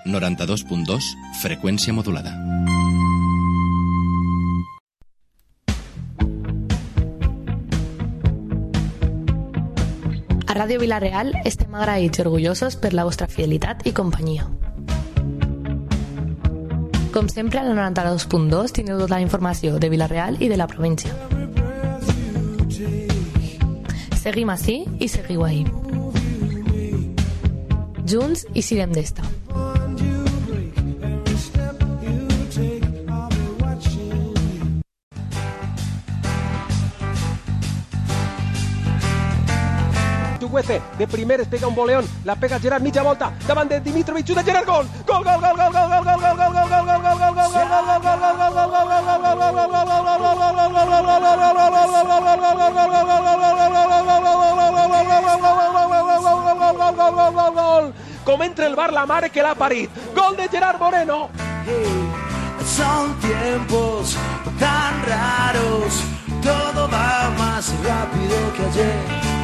92.2, freqüència modulada. A Ràdio Vila-real estem agraïts i orgullosos per la vostra fidelitat i companyia. Com sempre, a la 92.2 tindreu tota la informació de Vila-real i de la província. Seguim ací i seguiu ahí. Junts i sirem d'esta. De primer es pega un boleón, la pega Gerard mitja volta, davant de Dimitrovic, de Gerard, gol! Gol, gol, gol, gol, gol, gol, gol, gol, gol, gol, gol, gol, gol, gol, gol, com entra el bar la mare que l'ha parit. Gol de Gerard Moreno. Son tiempos tan raros, todo va más rápido que ayer.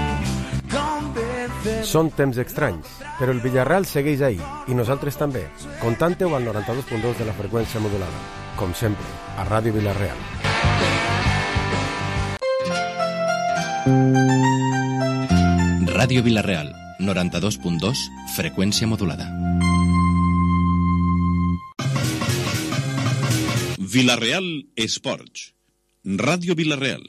Són temps estranys, però el Villarreal segueix ahí, i nosaltres també. Contante-ho al 92.2 de la freqüència modulada. Com sempre, a Ràdio Vila-real. Ràdio Vila-real, 92.2, freqüència modulada. Vila-real Esports. Ràdio Vila-real.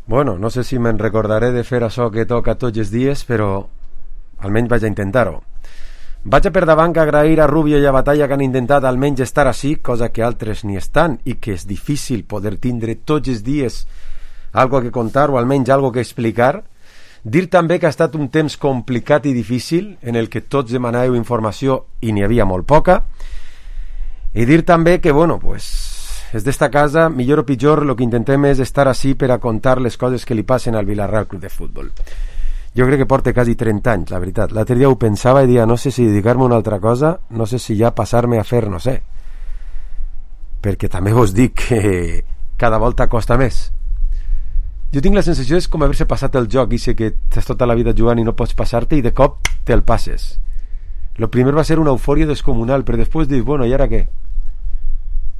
Bueno, no sé si me'n recordaré de fer això que toca tots els dies, però almenys vaig a intentar-ho. Vaig a per davant agrair a Rubio i a Batalla que han intentat almenys estar així, cosa que altres ni estan, i que és difícil poder tindre tots els dies algo que contar o almenys algo que explicar. Dir també que ha estat un temps complicat i difícil, en el que tots demanàveu informació i n'hi havia molt poca. I dir també que, bueno, pues des d'esta casa, millor o pitjor, el que intentem és estar així per a contar les coses que li passen al Villarreal Club de Futbol. Jo crec que porta quasi 30 anys, la veritat. L'altre dia ho pensava i dia, no sé si dedicar-me a una altra cosa, no sé si ja passar-me a fer, no sé. Perquè també vos dic que cada volta costa més. Jo tinc la sensació és com haver-se passat el joc, i sé que estàs tota la vida jugant i no pots passar-te, i de cop te'l passes. Lo primer va ser una eufòria descomunal, però després dius, bueno, i ara què?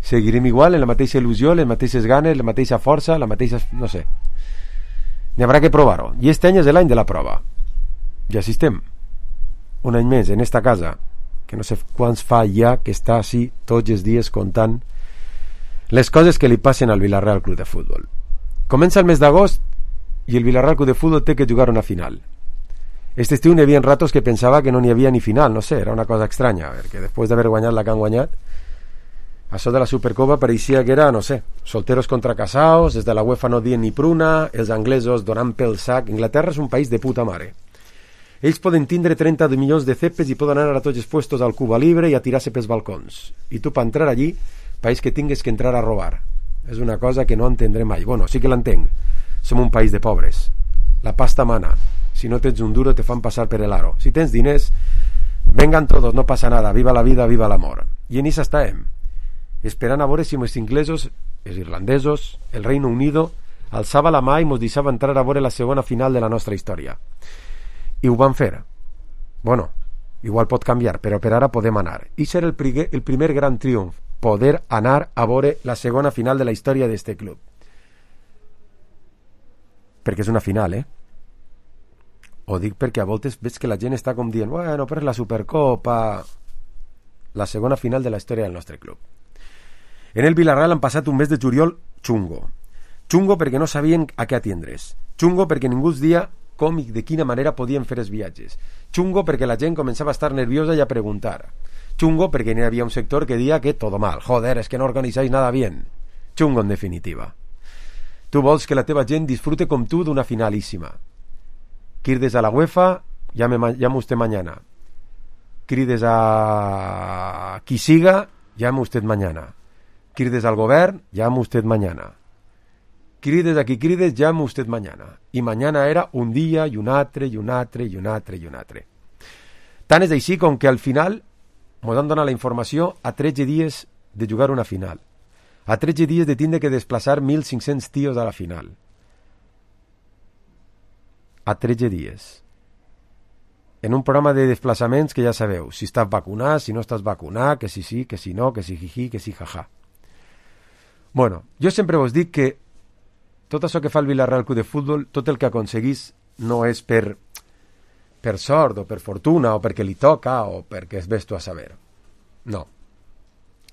Seguirem igual, en la mateixa il·lusió, les mateixes ganes, la mateixa força, la mateixa... no sé. N'hi haurà que provar-ho. I este any és l'any de la prova. I així estem. Un any més, en esta casa, que no sé quants fa ja que està així tots els dies contant les coses que li passen al Villarreal Club de Futbol. Comença el mes d'agost i el Villarreal Club de Futbol té que jugar una final. Este estiu n'hi havia ratos que pensava que no n'hi havia ni final, no sé, era una cosa estranya, perquè després d'haver guanyat la que han guanyat, això de la Supercopa pareixia que era, no sé, solteros contra casaos, des de la UEFA no dient ni pruna, els anglesos donant pel sac. Inglaterra és un país de puta mare. Ells poden tindre 30 milions de cepes i poden anar a tots els puestos al Cuba Libre i a tirar-se pels balcons. I tu, per entrar allí, país que tingues que entrar a robar. És una cosa que no entendré mai. Bueno, sí que l'entenc. Som un país de pobres. La pasta mana. Si no tens un duro, te fan passar per el aro. Si tens diners, vengan todos, no passa nada. Viva la vida, viva l'amor. I en això estàvem, esperant a veure si els inglesos, els irlandesos, el Reino Unido alçava la mà i ens deixava entrar a veure la segona final de la nostra història. I ho van fer. Bueno, igual pot canviar, però per ara podem anar. I serà el primer gran triomf, poder anar a veure la segona final de la història d'este club. Perquè és una final, Ho dic perquè a voltes veig que la gent està com dient, bueno, però és la Supercopa. La segona final de la història del nostre club. En el Villarreal han passat un mes de juliol xungo. Xungo perquè no sabien a què atendre's. Xungo perquè ningú els dia com i de quina manera podien fer els viatges. Xungo perquè la gent començava a estar nerviosa i a preguntar. Xungo perquè n'hi havia un sector que dia que todo mal. Joder, es que no organizáis nada bien. Xungo en definitiva. Tu vols que la teva gent disfrute com tu d'una finalíssima. Crides a la UEFA, llame usted mañana. Crides a qui siga, llame usted mañana. Crides al govern, llame usted mañana. Crides a qui crides, llame usted mañana. I mañana era un dia i un altre, i un altre, i un altre, i un altre. Tant és així com que al final ens han donat la informació a 13 dies de jugar una final. A 13 dies de tindre que desplaçar 1.500 tios a la final. A 13 dies. en un programa de desplaçaments que ja sabeu, si estàs vacunat, si no estàs vacunat, que si sí, que si no, que si jiji, que si jaja. Bueno, jo sempre vos dic que tot això que fa el Villarreal Club de Futbol, tot el que aconseguís no és per sort o per fortuna o perquè li toca o perquè es ves tu a saber. No.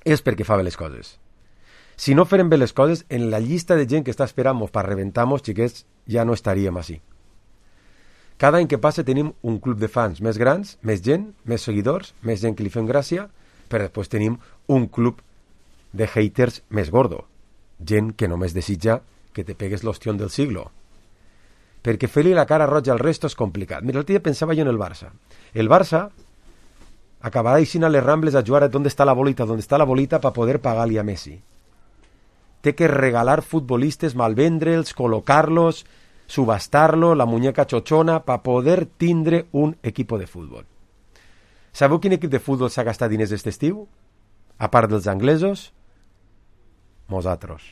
És perquè fa bé les coses. Si no farem bé les coses, en la llista de gent que està esperant-nos per reventar-nos, xiquets, ja no estaríem així. Cada any que passa tenim un club de fans més grans, més gent, més seguidors, més gent que li fem gràcia, però després tenim un club de haters més gordo. Gent que només desitja que te pegues l'ostión del siglo. Perquè fer-li la cara roja al resto és complicat. Mira, l'altre dia pensava jo en el Barça. El Barça acabarà eixint a les Rambles a jugar a ¿dónde está la bolita para poder pagar-li a Messi. Té que regalar futbolistes, malvendre'ls, col·locar-los, subastar-lo, la muñeca chochona, para poder tindre un equipo de futbol. Sabeu quin equip de futbol s'ha gastat diners aquest estiu? A part dels anglesos? Nosaltres.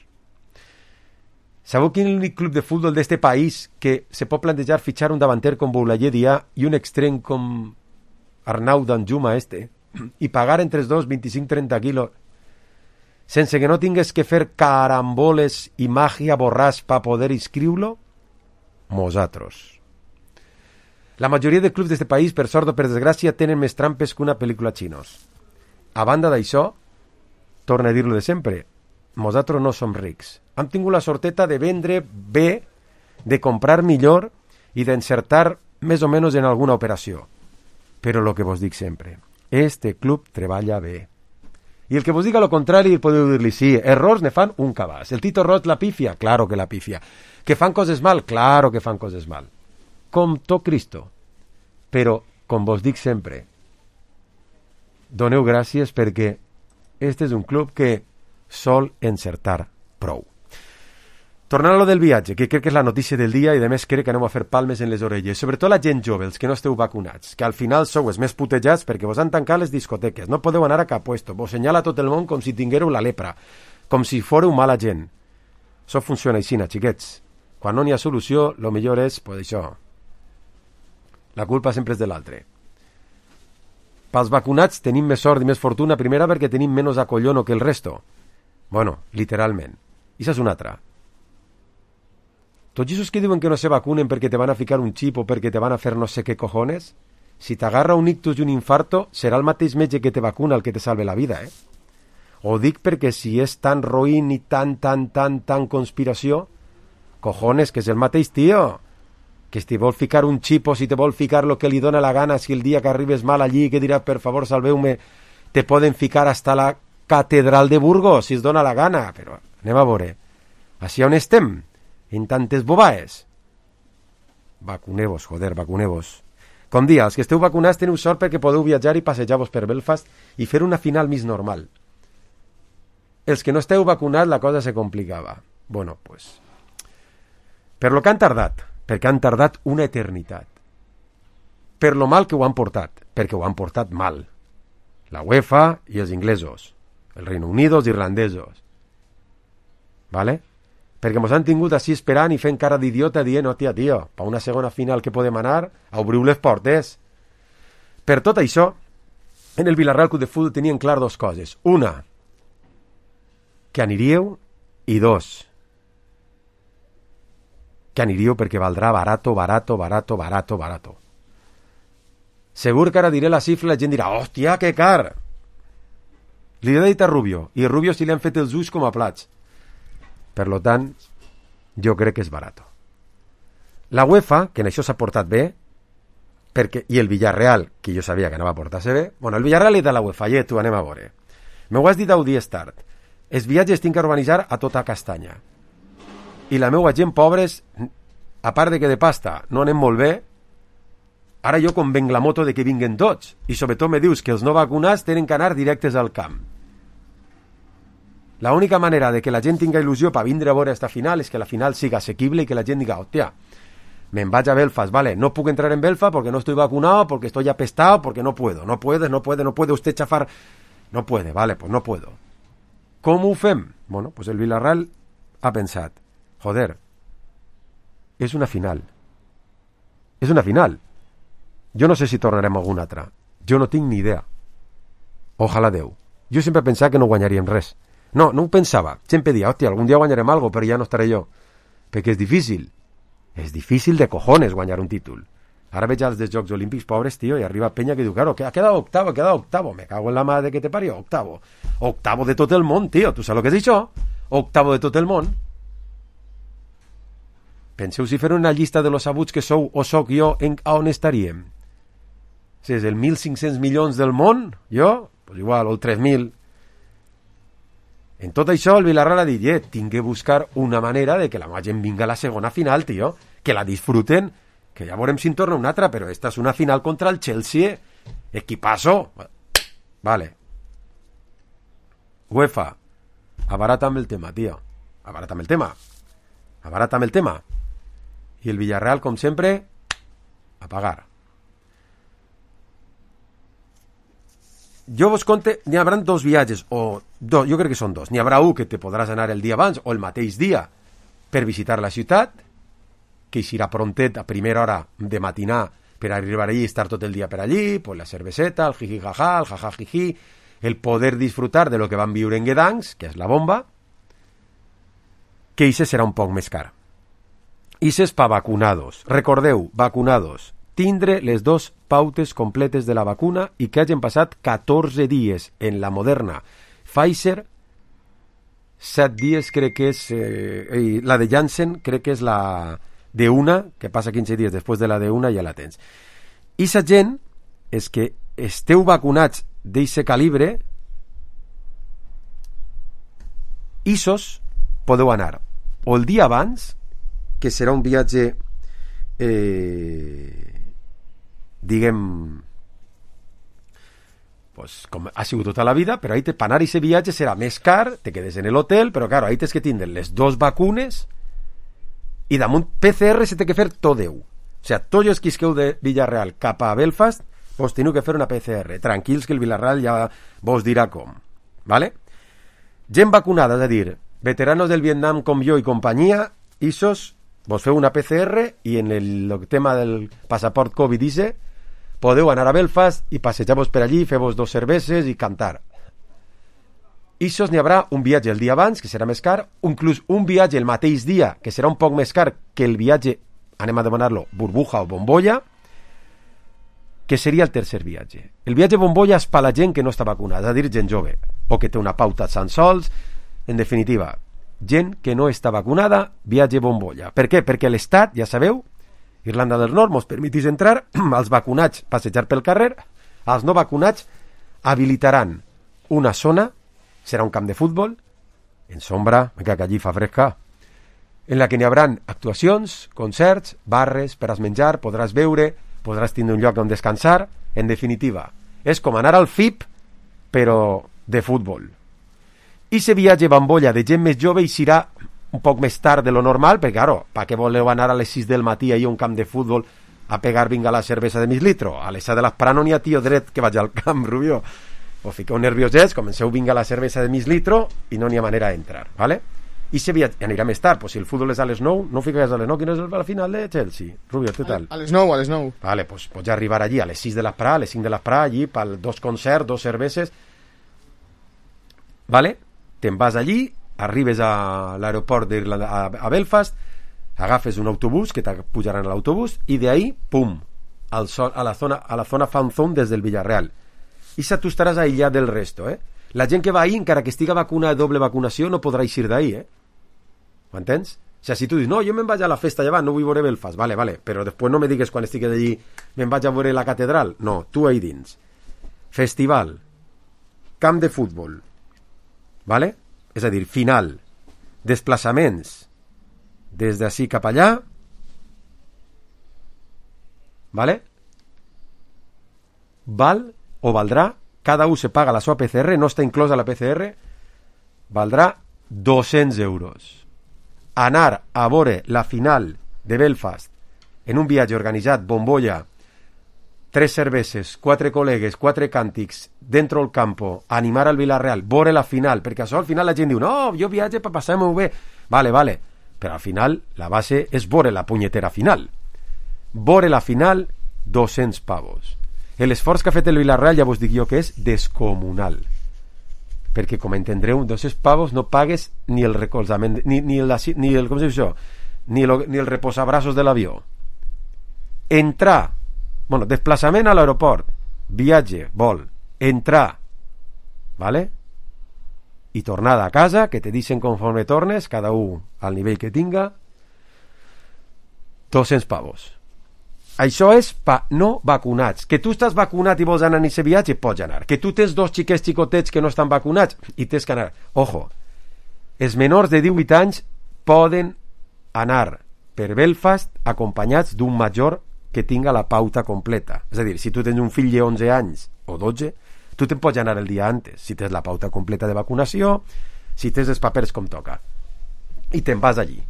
Sabeu quin únic club de futbol d'este país que se pot plantejar fitxar un davanter com Boulaye Dia i un extrem com Arnau Danjuma i pagar entre els dos 25-30 quilos sense que no tingues que fer caramboles i màgia borràs per poder inscriure-lo? Nosaltres. La majoria de clubs d'este país, per sort o per desgràcia, tenen més trampes que una pel·lícula xinos. A banda d'això, torno a dir-lo de sempre, nosaltres no som rics. Hem tingut la sorteta de vendre bé, de comprar millor i d'encertar més o menys en alguna operació. Però el que vos dic sempre, este club treballa bé. I el que vos diga lo contrari podeu dir-li sí, errors ne fan un cabàs. El Tito Roig la pifia? Claro que la pifia. Que fan coses mal? Claro que fan coses mal. Com tot Cristo. Però, com vos dic sempre, doneu gràcies perquè este és un club que sol encertar prou. Tornant a lo del viatge, que crec que és la notícia del dia i de més crec que anem a fer palmes en les orelles, sobretot la gent jove, els que no esteu vacunats, que al final sou els més putejats perquè vos han tancat les discoteques, no podeu anar a cap puesto, vos senyala tot el món com si tinguéreu la lepra, com si fóreu mala gent. Això funciona així, xiquets. Quan no n'hi ha solució, lo millor és, pues això, la culpa sempre és de l'altre. Pels vacunats tenim més sort i més fortuna, primera perquè tenim menys acollono que el resto. Bueno, literalment. I això és una altra. Tots aquests que diuen que no se vacunen perquè te van a ficar un xip o perquè te van a fer no sé què cojones, si t'agarra un ictus i un infarto, serà el mateix metge que te vacuna el que te salve la vida, eh? Ho dic perquè si és tan roïn i tan conspiració, cojones, que és el mateix tio, que si te vol ficar un xip o si te vol ficar lo que li dona la gana, si el dia que arribes mal allí, que dirà, per favor, salveu-me, te poden ficar hasta la catedral de Burgos, si es dona la gana, però anem a veure, així on estem? En tantes bobaes. Vacuneu-vos, joder, vacuneu-vos. Com dia, els que esteu vacunats teniu sort perquè podeu viatjar i passejar-vos per Belfast i fer una final més normal. Els que no esteu vacunats la cosa se complicava. Bueno, pues... Per lo que han tardat, perquè han tardat una eternitat. Per lo mal que ho han portat, perquè ho han portat mal. La UEFA i els inglesos, el Reino Unido, els irlandesos. Vale? Perquè mos han tingut així esperant i fent cara d'idiota dient, oh tia, tio, per una segona final que podem anar, obriu les portes. Per tot això, en el Villarreal Club de Futbol tenien clar dos coses. Una, que aniríeu, i dos, que aniríeu perquè valdrà barato. Segur que ara diré la xifra i la gent dirà, hòstia, que car! Li he dit a Rubio, i a Rubio si li han fet els ulls com a plats. Per lo tant, jo crec que és barat. La UEFA, que en això s'ha portat bé, perquè, i el Villarreal, que jo sabia que anava a portar-se bé, bueno, el Villarreal i de la UEFA, i tu anem a veure. M'ho has dit a dies tard. Els viatges tinc que organitzar a tota castanya. I la meua gent, pobres, a part de que de pasta no anem molt bé, ara jo convenc la moto de que vinguen tots. I sobretot me dius que els no vacunats tenen que anar directes al camp. La única manera de que la gent tinga il·lusió per vindre a veure esta final és que la final siga assequible i que la gent diga, hòstia, me'n vaig a Belfast, vale, no puc entrar en Belfast porque no estoy vacunado, porque estoy apestado, porque no puedo. No puede usted chafar. No puede, vale, pues no puedo. Com ho fem? Bueno, pues el Villarreal ha pensat, joder, és una final. És una final. Jo no sé si tornarem alguna altra. Jo no tinc ni idea. Ojalà Déu. Jo sempre pensava que no guanyaríem res. No ho pensava. Sempre dia, hòstia, algun dia guanyarem algo, però ja no estaré jo. Perquè és difícil. És difícil de cojones guanyar un títol. Ara veig els dels Jocs Olímpics pobres, tio, i arriba Peña que diu, claro, ha quedado octavo. Me cago en la madre que te parió, octavo. Octavo de tot el món, tio. Tu saps el que és això? Octavo de tot el món. Penseu si fer una llista de los sabuts que sou o soc jo, a on estaríem? Si és el 1.500 milions del món, jo, pues igual, o el 3.000. En tot això, el Villarreal ha dit, tinc que buscar una manera de que la gent vinga a la segona final, tio, que la disfruten, que ja veurem si en torna una altra, però esta és una final contra el Chelsea, equipazo. Vale. UEFA, abarata'm el tema, tio. Abarata'm el tema. I el Villarreal, com sempre, a pagar. Jo vos conte, n'hi haurà dos viatges, jo crec que són dos. N'hi haurà un que te podràs anar el dia abans o el mateix dia per visitar la ciutat, que eixirà prontet a primera hora de matinar per arribar allí i estar tot el dia per allí, pues la cerveseta, el jiji-jaja, el jaja-jiji, el poder disfrutar de lo que van viure en Gdansk, que és la bomba, que ixe serà un poc més car. Ixe és pa vacunados. Recordeu, vacunados. Tindre les 2 pautes completes de la vacuna i que hagin passat 14 dies en la Moderna. Pfizer, 7 dies crec que és... la de Janssen crec que és la de una, que passa 15 dies després de la de una ja la tens. I sa gent és que esteu vacunats d'eixe calibre, isos podeu anar o el dia abans, que serà un viatge diguem pues, com ha sigut tota la vida, però ahí per anar a aquest viatge serà més car, te quedes en l'hotel, però claro, ahí tens que tindre les 2 vacunes i damunt PCR se té que fer tot Déu. O sigui, tots els que isqueu de Villarreal cap a Belfast vos teniu que fer una PCR. Tranquils que el Villarreal ja vos dirà com. ¿Vale? Gent vacunada, és a dir, veteranos del Vietnam com jo i companyia, isos vos feu una PCR i en el tema del passaport Covid dice podeu anar a Belfast i passejar-vos per allí, fer-vos 2 cerveses i cantar. Isos n'hi haurà un viatge el dia abans, que serà més car, inclús un viatge el mateix dia, que serà un poc més car que el viatge, anem a demanar-lo, burbuja o bombolla, que seria el tercer viatge. El viatge bombolla és per la gent que no està vacunada, és a dir, gent jove, o que té una pauta tan sols, en definitiva, gent que no està vacunada, viatge bombolla. Per què? Perquè l'Estat, ja sabeu, Irlanda del Nord mos permetís entrar, als vacunats passejar pel carrer, als no vacunats habilitaran una zona, serà un camp de futbol, en sombra, que allí fa fresca, en la que n'hi haurà actuacions, concerts, barres, per menjar, podràs beure, podràs tindre un lloc on descansar, en definitiva. És com anar al FIP, però de futbol. I se viatge bombolla de gent més jove i serà un poc més tard de lo normal, perquè, claro, per què voleu anar a les 6 del matí ahir a un camp de futbol a pegar vinga la cervesa de mig litro? A les 7 de l'esprà no n'hi ha tio dret que vagi al camp, Rubió. O fiqueu nerviosets, comenceu vinga la cervesa de mig litro i no n'hi ha manera d'entrar, ¿vale? I se anirà més tard, pues si el futbol és a les 9, no fiques a les 9, quina és la final de Chelsea? Rubio, què tal? A les 9. Vale, pues pots arribar allí a les 6 de l'esprà, a les 5 de l'esprà, allí, per 2 concerts, 2 cerveses, ¿vale? Te'n vas allí, arribes a l'aeroport a Belfast, agafes un autobús que t'apujaran a l'autobús i d'ahí, pum, a la zona fan zone des del Villarreal. I tu estaràs aïllat del resto, La gent que va ahí, encara que estiga vacuna de doble vacunació, no podrà eixir d'ahí, Ho entens? O sigui, si tu dius, no, jo me'n vaig a la festa llevant, no vull veure Belfast, vale, però després no me digues quan estigui d'allí, me'n vaig a veure la catedral. No, tu ahí dins. Festival, camp de futbol, vale? És a dir, final, desplaçaments des d'ací cap allà, vale? Val o valdrà, cada un se paga la seva PCR, no està inclosa la PCR, valdrà 200 euros. Anar a veure la final de Belfast en un viatge organitzat, bombolla, 3 cerveses, 4 col·legues, 4 càntics, dentro del campo, animar al Villarreal, veure la final, perquè això al final la gent diu, no, jo viatge per passar-m'ho bé. Vale, però al final la base és veure la punyetera final. Veure la final 200 pavos. L'esforç que ha fet el Villarreal ja vos dic jo que és descomunal, perquè com entendreu, 200 pavos no pagues ni el recolzament ni el com es diu això, ni el reposabraços de l'avió. Desplaçament a l'aeroport, viatge, vol, entrar, vale? I tornada a casa, que te dicen conforme tornes, cada un al nivell que tinga, 200 pavos. Això és pa no vacunats. Que tu estàs vacunat i vols anar en aquest viatge, pots anar. Que tu tens 2 xiquets xicotets que no estan vacunats i tens que anar. Ojo, els menors de 18 anys poden anar per Belfast acompanyats d'un major que tinga la pauta completa. És a dir, si tu tens un fill de 11 anys o 12, tu te'n pots anar el dia antes, si tens la pauta completa de vacunació, si tens els papers com toca. I te'n vas allí.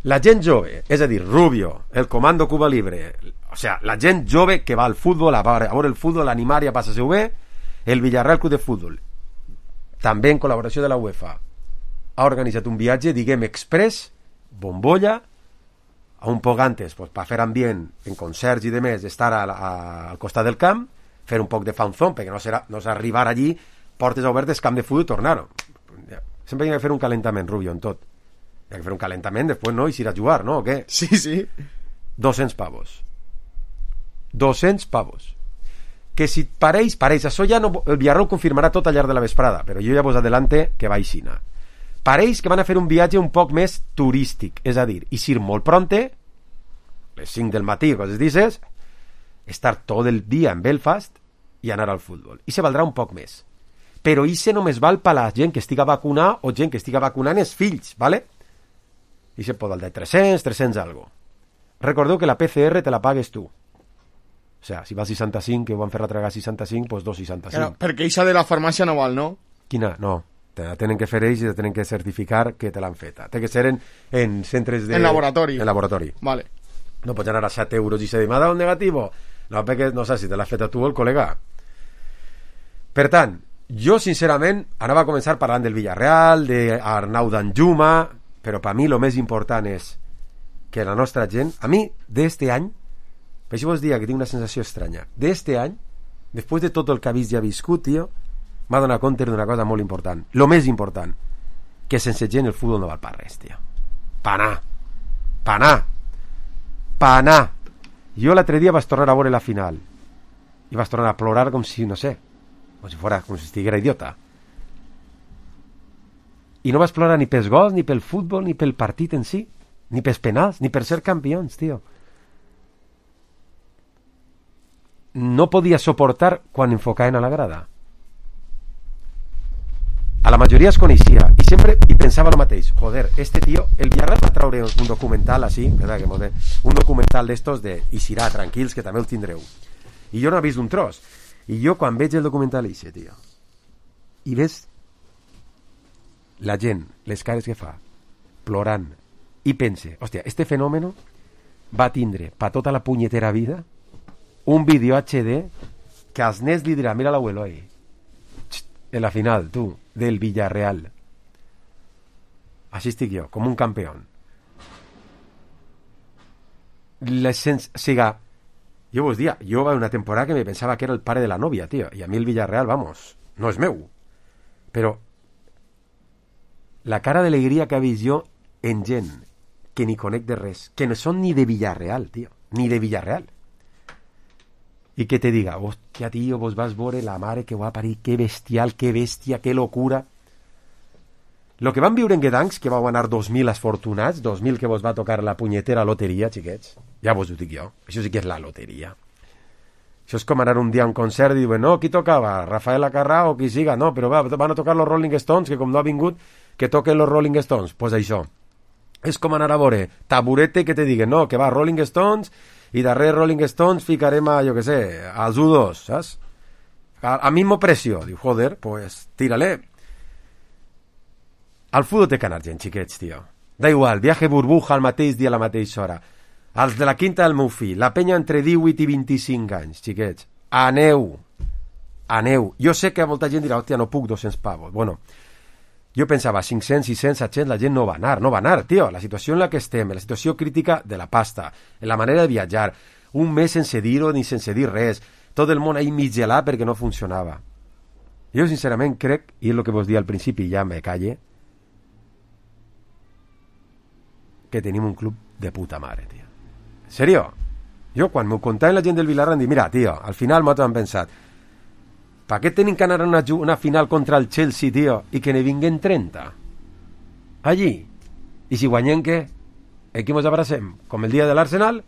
La gent jove, és a dir, Rubio, el Comando Cuba Libre, o sea, la gent jove que va al futbol, a veure el futbol, l'animar i a passar-se-ho bé, el Villarreal Club de Futbol, també en col·laboració de la UEFA, ha organitzat un viatge, diguem, express, bombolla, a un poc antes, pues, per fer ambient en concerts i demés, estar al costat del camp, fer un poc de fanzón, perquè no serà arribar allí, portes obertes, camp de futbol i tornar-ho. Sempre hi ha que fer un calentament, Rubio, en tot. Hi ha que fer un calentament, després no, i s'irà a jugar, no? O què? Sí, sí. 200 pavos. 200 pavos. Que si pareix, això ja no... El Villarreal confirmarà tot al llarg de la vesprada, però jo ja vos adelante que va aixina. Pareix que van a fer un viatge un poc més turístic, és a dir, eixir molt pronte, les 5 del matí, coses dices, estar tot el dia en Belfast i anar al futbol. I se valdrà un poc més. Però ixe només val per la gent que estiga vacunada o gent que estiga vacunant els fills, ¿vale? I se pot valdre 300 algo. Recordeu que la PCR te la pagues tu. O sea, si vas 65, que ho van fer retragar 65, pues 2,65. Claro, perquè ixa de la farmàcia no val, no? Quina? No. Te la tenen que fer ells i te tenen que certificar que te l'han feta. Té que ser en centres de... En laboratori. En laboratori. Vale. No pots anar a 7 euros i se dir, m'ha dado un negativo. No, perquè no sé si te l'ha feta tu o el col·lega. Per tant, jo sincerament anava a començar parlant del Villarreal, d'Arnau Danjuma, però per mi el més important és que la nostra gent, a mi d'este any, per això vos dia que tinc una sensació estranya, d'este any, després de tot el que ha vist i ha viscut, tio, m'ha donat compte d'una cosa molt important, el més important, que sense gent el futbol no val per res, tio. Panar. Jo l'altre dia vaig tornar a veure la final i vaig tornar a plorar com si, no sé, com si estiguera idiota. I no vaig plorar ni pels gols, ni pel futbol, ni pel partit en si, ni pels penals, ni per ser campions, tio. No podia soportar quan enfocaven a la grada. A la majoria es coneixia i sempre pensava el mateix, joder, este tío, el Villarreal va traure un documental així, un documental d'estos de Ixirà, tranquils, que també el tindreu. I jo no he vist un tros. I jo quan veig el documental ixe, tio, i ves la gent, les cares que fa, plorant, i pense, hòstia, este fenòmeno va tindre per tota la punyetera vida un vídeo HD que als nens li dirà, mira l'abuelo ahí, en la final, tu, del Villarreal. Així estic jo, com un campió. Siga, jo vos dia, jo va una temporada que me pensava que era el pare de la nòvia, tio, i a mi el Villarreal, vamos, no és meu. Però la cara d'alegria que ha vist jo en gent que ni conec de res, que no són ni de Villarreal, tio, ni de Villarreal. I que te diga, hòstia, tio, vos vas veure la mare que va parir, que bestial, que bèstia, que locura. Lo que van viure en Gdansk, que vau anar 2.000 esfortunats, 2.000 que vos va tocar la punyetera loteria, xiquets, ja vos ho dic jo, això sí que és la loteria. Això és com anar un dia a un concert i diuen, no, qui tocava? Rafael Acarrà o qui siga? No, però van a tocar los Rolling Stones, que com no ha vingut, que toquen los Rolling Stones. Pues això. És com anar a veure Taburete que te diguen, no, que va Rolling Stones i darrere Rolling Stones ficarem a, jo que sé, als U2, saps? Al mismo precio. Diu, joder, pues tírale. Al futbol té que anar gent, xiquets, tio. Da igual, viaje burbuja al mateix dia a la mateixa hora. Els de la quinta del meu fill, la penya entre 18 i 25 anys, xiquets. Aneu. Jo sé que molta gent dirà, hòstia, no puc 200 pavos. Bueno, jo pensava, 500, 600, 700, la gent no va anar, tio. La situació en la que estem, la situació crítica de la pasta, en la manera de viatjar, un mes sense dir-ho ni sense dir res, tot el món ahí mig gelat perquè no funcionava. Jo sincerament crec, i és el que vos dia al principi, ja me calle, que tenim un club de puta mare, tio. En serio? Jo quan m'ho contaven la gent del Vilarra em dic, mira, tio, al final m'ho han pensat, per què tenim que anar a una final contra el Chelsea, tio, i que ne vinguen 30? Allí. I si guanyem, què? Aquí mos abracem, com el dia de l'Arsenal,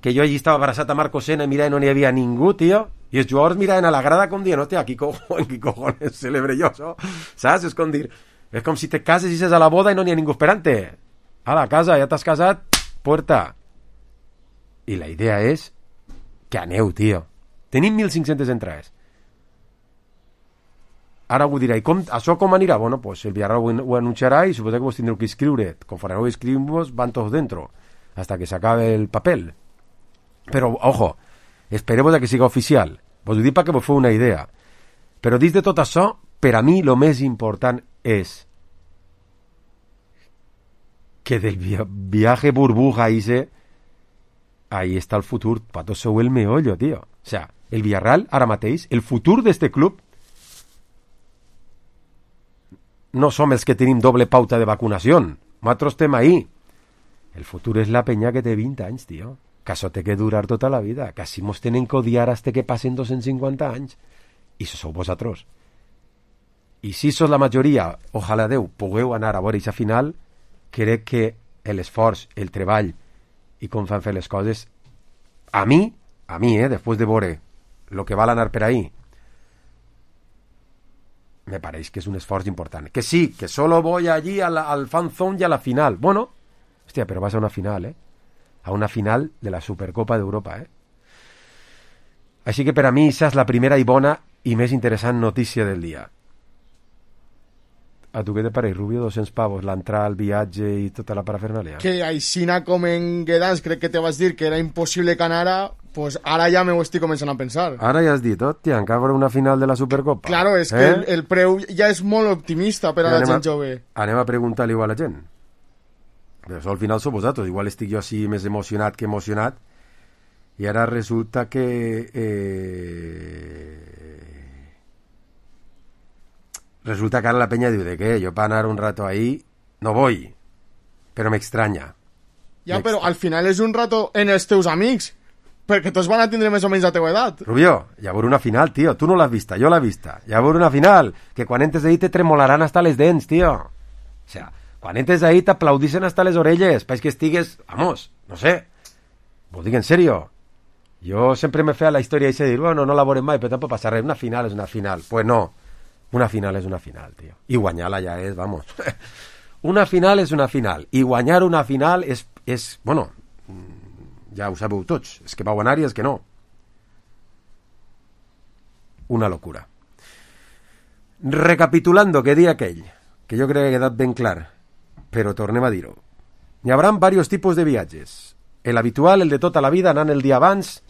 que jo allí estava abraçat a Marco Sena i mira, no n'hi havia ningú, tio, i els jugadors miraven a la grada com dient, hòstia, qui cojones celebre jo això? Saps? És com dir, és com si te cases i ses a la boda i no n'hi ha ningú esperant-te. A la casa, ja t'has casat, puerta. I la idea és que aneu, tio. Tenim 1.500 entrades. Ara ho dirà, i això com anirà? Bueno, pues el Villarreal ho anunciarà i suposo que vos tindreu que inscriure. Conforme ho escribimos, van todos dentro, hasta que s'acabe el papel. Però, ojo, espereu que siga oficial. Vos ho dic perquè vos feu una idea. Però dins de tot això, per a mi, el més important és que del viaje burbuja ahí està el futur. Pato, sou el meollo, tio. O sea, el Villarreal, ara mateix, el futur d'este club no som els que tenim doble pauta de vacunació. Nosaltres estem ahí. El futur és la penya que té 20 anys, tio. Que això té que durar tota la vida. Que si mos tenen que odiar hasta que passen 250 anys. I això sou vosaltres. I si sos la majoria, ojalà Déu, pugueu anar a veure aquesta final, crec que l'esforç, el treball i com fan fer les coses, a mi, després de veure el que val anar per ahí, me pareix que és un esforç important. Que sí, que solo voy allí al fan zone y a la final. Bueno, hòstia, però vas a una final, a una final de la Supercopa d'Europa, Així que per a mi això és la primera i bona i més interessant notícia del dia. A tu què te pareix, Rubio? 200 pavos, l'entrada, el viatge i tota la parafernàlia? Que aixina com en Guedans crec que te vas dir que era impossible que anara, pues ara ja m'ho estic començant a pensar. Ara ja has dit, hòstia, encara una final de la Supercopa. Claro, és que el preu ja és molt optimista per a la gent jove. Anem a preguntar-li igual a la gent. Però això al final sou vosaltres, igual estic jo així més emocionat que emocionat, i ara resulta que resulta que ara la penya diu de què, jo per anar un rato ahí no voy, però m'extranya. Ja, però al final és un rato en els teus amics, perquè tots van a tindre més o menys la teua edat. Rubio, ja veure una final, tio, tu no l'has vista, jo l'he vista, ja veure una final, que quan entres ahí te tremolaran hasta les dents, tio. O sea, quan entres ahí t'aplaudissin hasta les orelles, país que estigues, vamos, no sé, vos dic en serio. Jo sempre me feia la història i de dir, bueno, no la veurem mai, però tampoc passa res, una final és una final. Pues no. Una final és una final, tio. I guanyar-la ja és, vamos. Una final és una final. I guanyar una final és, bueno, ja ho sabeu tots. És que vau anar i és que no. Una locura. Recapitulando, que dia aquell, que jo crec que ha quedat ben clar, però tornem a dir-ho. Hi haurà diversos tipus de viatges. El habitual, el de tota la vida, anant el dia abans.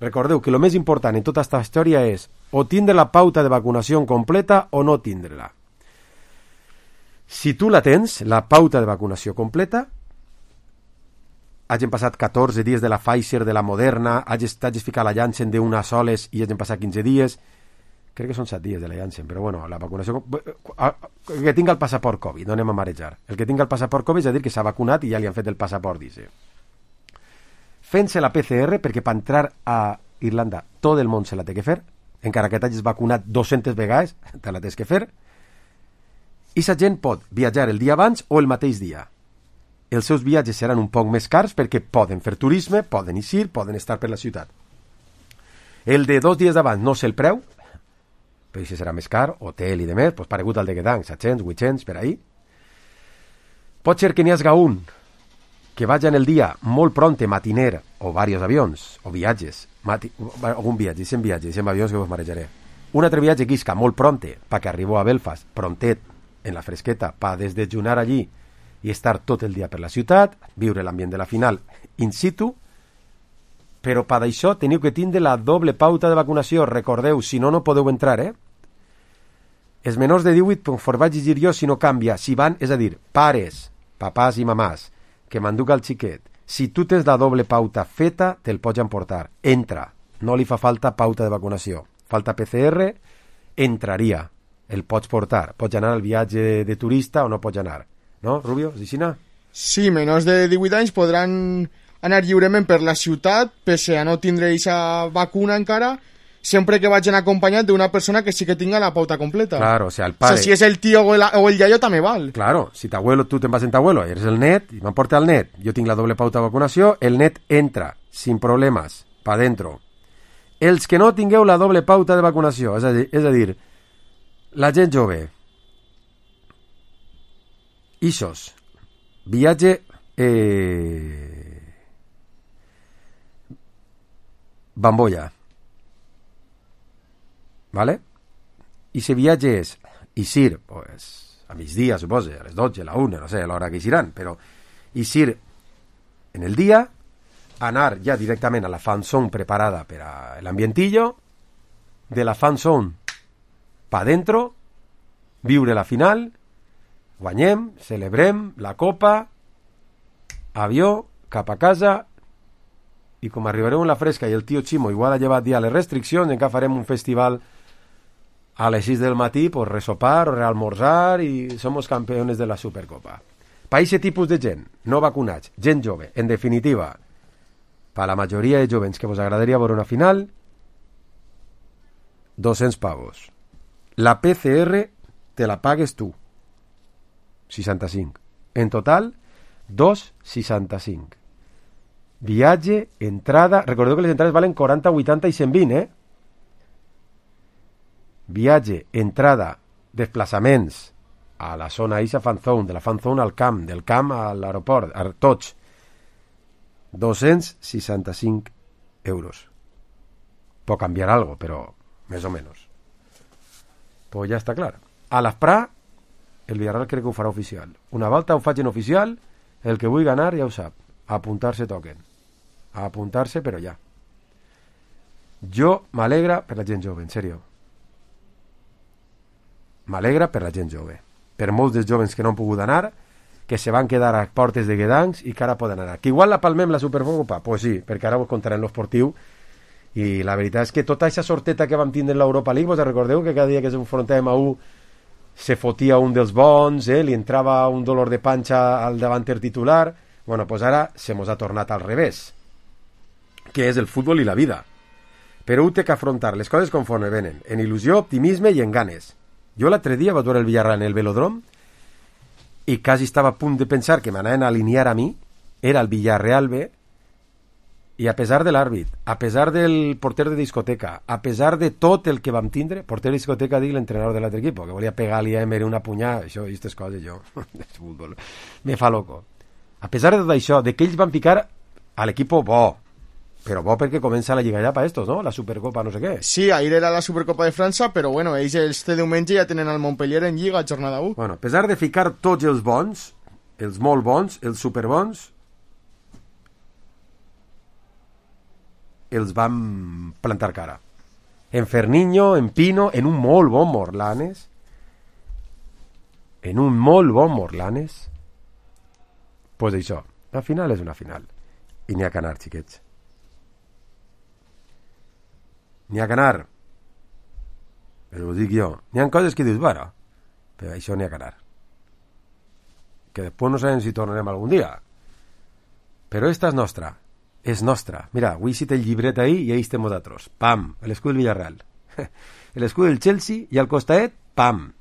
Recordeu que el més important en tota aquesta història és o tindre la pauta de vacunació completa o no tindre-la. Si tu la tens, la pauta de vacunació completa, hagin passat 14 dies de la Pfizer, de la Moderna, hagis ficat la Janssen d'una soles i hagin passat 15 dies, crec que són 7 dies de la Janssen, però bueno, la vacunació... que tinga el passaport Covid, no anem a marejar. El que tinga el passaport Covid és a dir que s'ha vacunat i ja li han fet el passaport, dice. Fent-se la PCR, perquè per entrar a Irlanda tot el món se la té que fer, encara que t'hagis vacunat 200 vegades, te la tens que fer, i la gent pot viatjar el dia abans o el mateix dia. Els seus viatges seran un poc més cars perquè poden fer turisme, poden eixir, poden estar per la ciutat. El de 2 dies abans no sé el preu, però si serà més car, hotel i de més, doncs paregut al de Guedang, 700, 800, per ahí. Pot ser que n'hi hagi un que vagi en el dia molt pronte, matiner, o diversos avions, o viatges, algun viatge, dicen viatges, dicen avions que vos marejaré. Un altre viatge que isca molt pronte, perquè arribó a Belfast, prontet, en la fresqueta, per desdejunar allí i estar tot el dia per la ciutat, viure l'ambient de la final in situ, però per això teniu que tindre la doble pauta de vacunació. Recordeu, si no, no podeu entrar, Els menors de 18, conforme vaig llegir jo, si no canvia, si van, és a dir, pares, papàs i mamàs, que m'enduca el xiquet, Si tu tens la doble pauta feta, te'l pots emportar. Entra. No li fa falta pauta de vacunació. Falta PCR, entraria. El pots portar. Pots anar al viatge de turista o no pots anar. No, Rubio? És així? Sí, menors de 18 anys podran anar lliurement per la ciutat, pese a no tindre aquesta vacuna encara, sempre que vagin acompanyat d'una persona que sí que tinga la pauta completa. Claro, o sea, el padre... O sea, si és el tío o el iaio també val. Claro, si t'abuelo, tu te'n vas en t'abuelo, eres el net, i m'emporta el net, jo tinc la doble pauta de vacunació, el net entra, sin problemes, pa dentro. Els que no tingueu la doble pauta de vacunació, és a dir, la gent jove, ixos, viatge bambolla, ¿vale? I si viatge és Isir, pues, a migdia, suposo, a les 12, a la 1, no sé, a l'hora que ixiran, però Isir en el dia, anar ja directament a la fan zone preparada per a l'ambientillo, de la fan zone pa dentro, viure la final, guanyem, celebrem la copa, avió, cap a casa, i com arribarem en la fresca i el tio Chimo igual ha llevat ja les restriccions, encara farem un festival a les 6 del matí, pues resopar o realmorzar i somos campeones de la Supercopa. Per aquest tipus de gent, no vacunats, gent jove, en definitiva, per la majoria de jovens que vos agradaria veure una final, 200 pavos. La PCR te la pagues tu, 65. En total, 2,65. Viatge, entrada... Recordeu que les entrades valen 40, 80 i 120, Viatge, entrada, desplaçaments a la zona Isa fan zone, de la fan zone al camp, del camp a l'aeroport, a tots. 265 euros. Pot canviar algo, però més o menys. Pues ja està clar. A l'Asprà, el Villarreal crec que ho farà oficial. Una volta ho facin oficial, el que vulgui anar ja ho sap. A apuntar-se toquen. A apuntar-se, però ja. Jo m'alegra per la gent jove, en sèrio. M'alegra per la gent jove. Per molts dels jovens que no han pogut anar, que se van quedar a portes de Guedancs i que ara poden anar. Que igual la palmem la Supercopa? Pues sí, perquè ara vos contarem l'esportiu. I la veritat és que tota aquesta sorteta que vam tindre en l'Europa League, vos recordeu que cada dia que s'enfrontàvem a un se fotia un dels bons, li entrava un dolor de panxa al davanter titular. Bueno, pues ara se mos ha tornat al revés, que és el futbol i la vida. Però ho té que afrontar les coses conforme venen, en il·lusió, optimisme i en ganes. Jo l'altre dia vaig veure el Villarreal en el velòdrom i quasi estava a punt de pensar que m'anaven a alinear a mi, era el Villarreal B, i a pesar de l'àrbit, a pesar del porter de discoteca, a pesar de tot el que vam tindre, porter de discoteca, dic l'entrenador de l'altre equip, que volia pegar-li a Emery una punyada, això i aquestes coses, jo, me fa loco. A pesar de tot això, de que ells van ficar a l'equip bo, però bo perquè comença la Lliga ja per estos, no? La Supercopa no sé què. Sí, ahir era la Supercopa de França, però bueno, ells este diumenge ja tenen el Montpellier en Lliga, jornada 1. Bueno, a pesar de ficar tots els bons, els molt bons, els superbons, els van plantar cara. En Ferniño, en Pino, en un molt bon Morlanes, pues això, la final és una final. I n'hi ha que anar, xiquets. N'hi ha que anar. Però ho dic jo. N'hi ha coses que dius, bueno, però això n'hi ha que anar. Que després no sabem si tornarem algun dia. Però esta és nostra. És nostra. Mira, avui cita el llibret ahí i ahí estem nosaltres. Pam, l'escut del Villarreal. L'escut del Chelsea i al costadet, pam,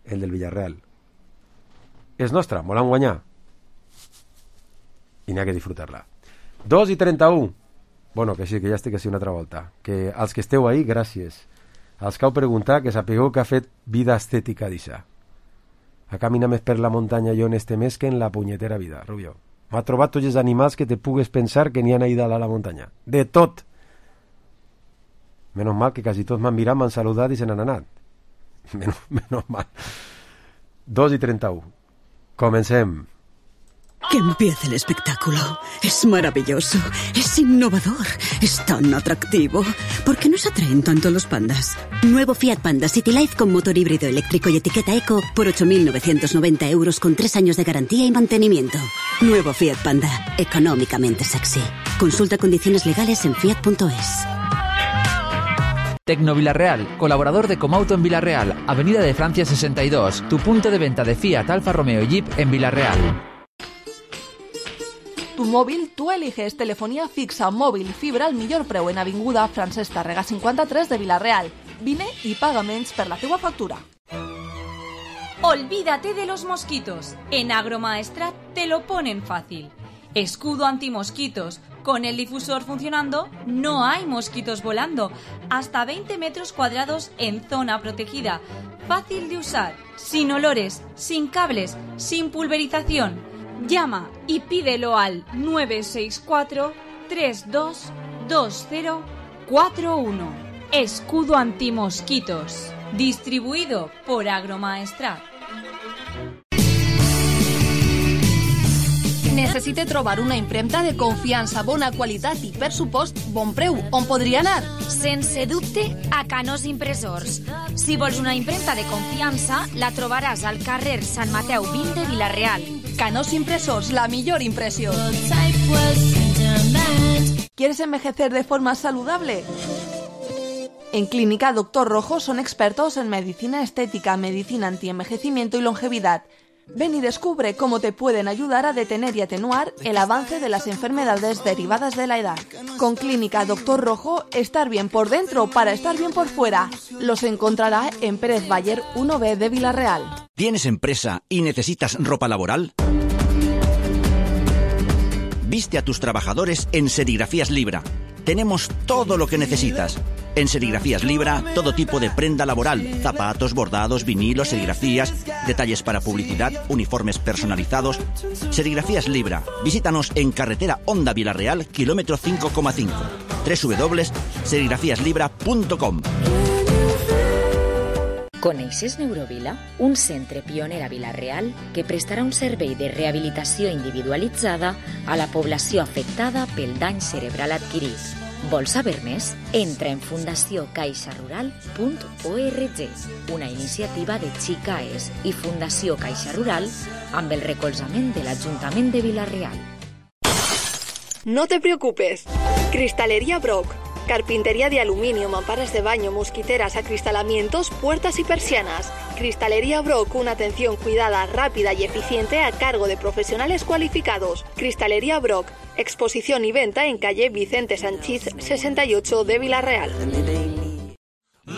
el del Villarreal. És nostra, volem guanyar. I n'hi ha que disfrutar-la. 2:31. Bueno, que sí, que ja estic així una altra volta. Que als que esteu ahí, gràcies. Als que heu preguntat, que sapigueu que ha fet vida estètica d'aixà. Ha caminat més per la muntanya jo en este mes que en la punyetera vida, Rubio. M'ha trobat tots els animals que te pugues pensar que n'hi han ahí dalt a la muntanya. De tot. Menos mal que quasi tots m'han mirat, m'han saludat i se n'han anat. Menos mal. 2:31. Comencem. Que empiece el espectáculo. Es maravilloso, es innovador, es tan atractivo. ¿Por qué nos atraen tanto los pandas? Nuevo Fiat Panda City Life con motor híbrido eléctrico y etiqueta eco por 8.990 euros con 3 años de garantía y mantenimiento. Nuevo Fiat Panda, económicamente sexy. Consulta condiciones legales en fiat.es. Tecno Villarreal, colaborador de Comauto en Villarreal, Avenida de Francia 62, tu punto de venta de Fiat, Alfa Romeo y Jeep en Villarreal. Tu móvil, tú eliges telefonía fixa, móvil, fibra al millor preu en Avinguda Francesc Tàrrega 53 de Villarreal. Vine y paga menys per la teua factura. Olvídate de los mosquitos. En Agromaestrat te lo ponen fácil. Escudo antimosquitos. Con el difusor funcionando, no hay mosquitos volando. Hasta 20 metros cuadrados en zona protegida. Fácil de usar, sin olores, sin cables, sin pulverización. Llama y pídelo al 964 322041. Escudo antimosquitos. Distribuido por Agromaestrat. Necessite trobar una impremta de confiança, bona qualitat i, per supost, bon preu. On podria anar? Sense dubte, a Canós Impressors. Si vols una impremta de confiança, la trobaràs al carrer Sant Mateu 20 de Vila-real. Canós Impressors, la millor impressió. ¿Quieres envejecer de forma saludable? En Clínica Dr. Rojo son expertos en medicina estética, medicina antienvejecimiento y longevidad. Ven y descubre cómo te pueden ayudar a detener y atenuar el avance de las enfermedades derivadas de la edad. Con Clínica Dr. Rojo, estar bien por dentro para estar bien por fuera. Los encontrará en Pérez Bayer 1B de Villarreal. ¿Tienes empresa y necesitas ropa laboral? Viste a tus trabajadores en Serigrafías Libra. Tenemos todo lo que necesitas. En Serigrafías Libra, todo tipo de prenda laboral, zapatos, bordados, vinilos, serigrafías, detalles para publicidad, uniformes personalizados. Serigrafías Libra. Visítanos en carretera Honda Villarreal, kilómetro 5,5. www.serigrafiaslibra.com. Coneixes Neurovila, un centre pioner a Vila-real que prestarà un servei de rehabilitació individualitzada a la població afectada pel dany cerebral adquirit. Vols saber més? Entra en fundaciocaixarural.org, una iniciativa de Xicaes i Fundació Caixa Rural amb el recolzament de l'Ajuntament de Vila-real. No te preocupes. Cristalería Brock. Carpintería de aluminio, mamparas de baño, mosquiteras, acristalamientos, puertas y persianas. Cristalería Brock, una atención cuidada, rápida y eficiente a cargo de profesionales cualificados. Cristalería Brock, exposición y venta en calle Vicente Sanchís 68 de Vila-real.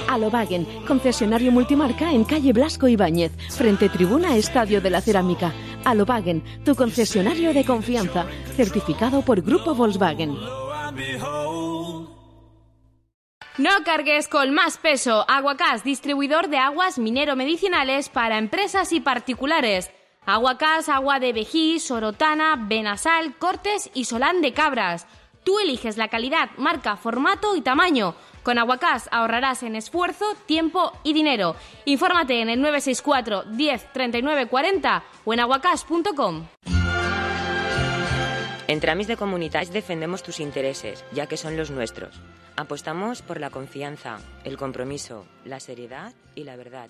Alobagen, concesionario multimarca en calle Blasco Ibáñez, frente tribuna Estadio de la Cerámica. Alobagen, tu concesionario de confianza, certificado por Grupo Volkswagen. No cargues con más peso. Aguacás, distribuidor de aguas minero-medicinales para empresas y particulares. Aguacás, agua de Vejí, Sorotana, Benasal, Cortes y Solán de Cabras. Tú eliges la calidad, marca, formato y tamaño. Con Aguacás ahorrarás en esfuerzo, tiempo y dinero. Infórmate en el 964 10 39 40 o en aguacás.com. En Tramis de Comunitats defendemos tus intereses, ya que son los nuestros. Apostamos por la confianza, el compromiso, la seriedad y la verdad.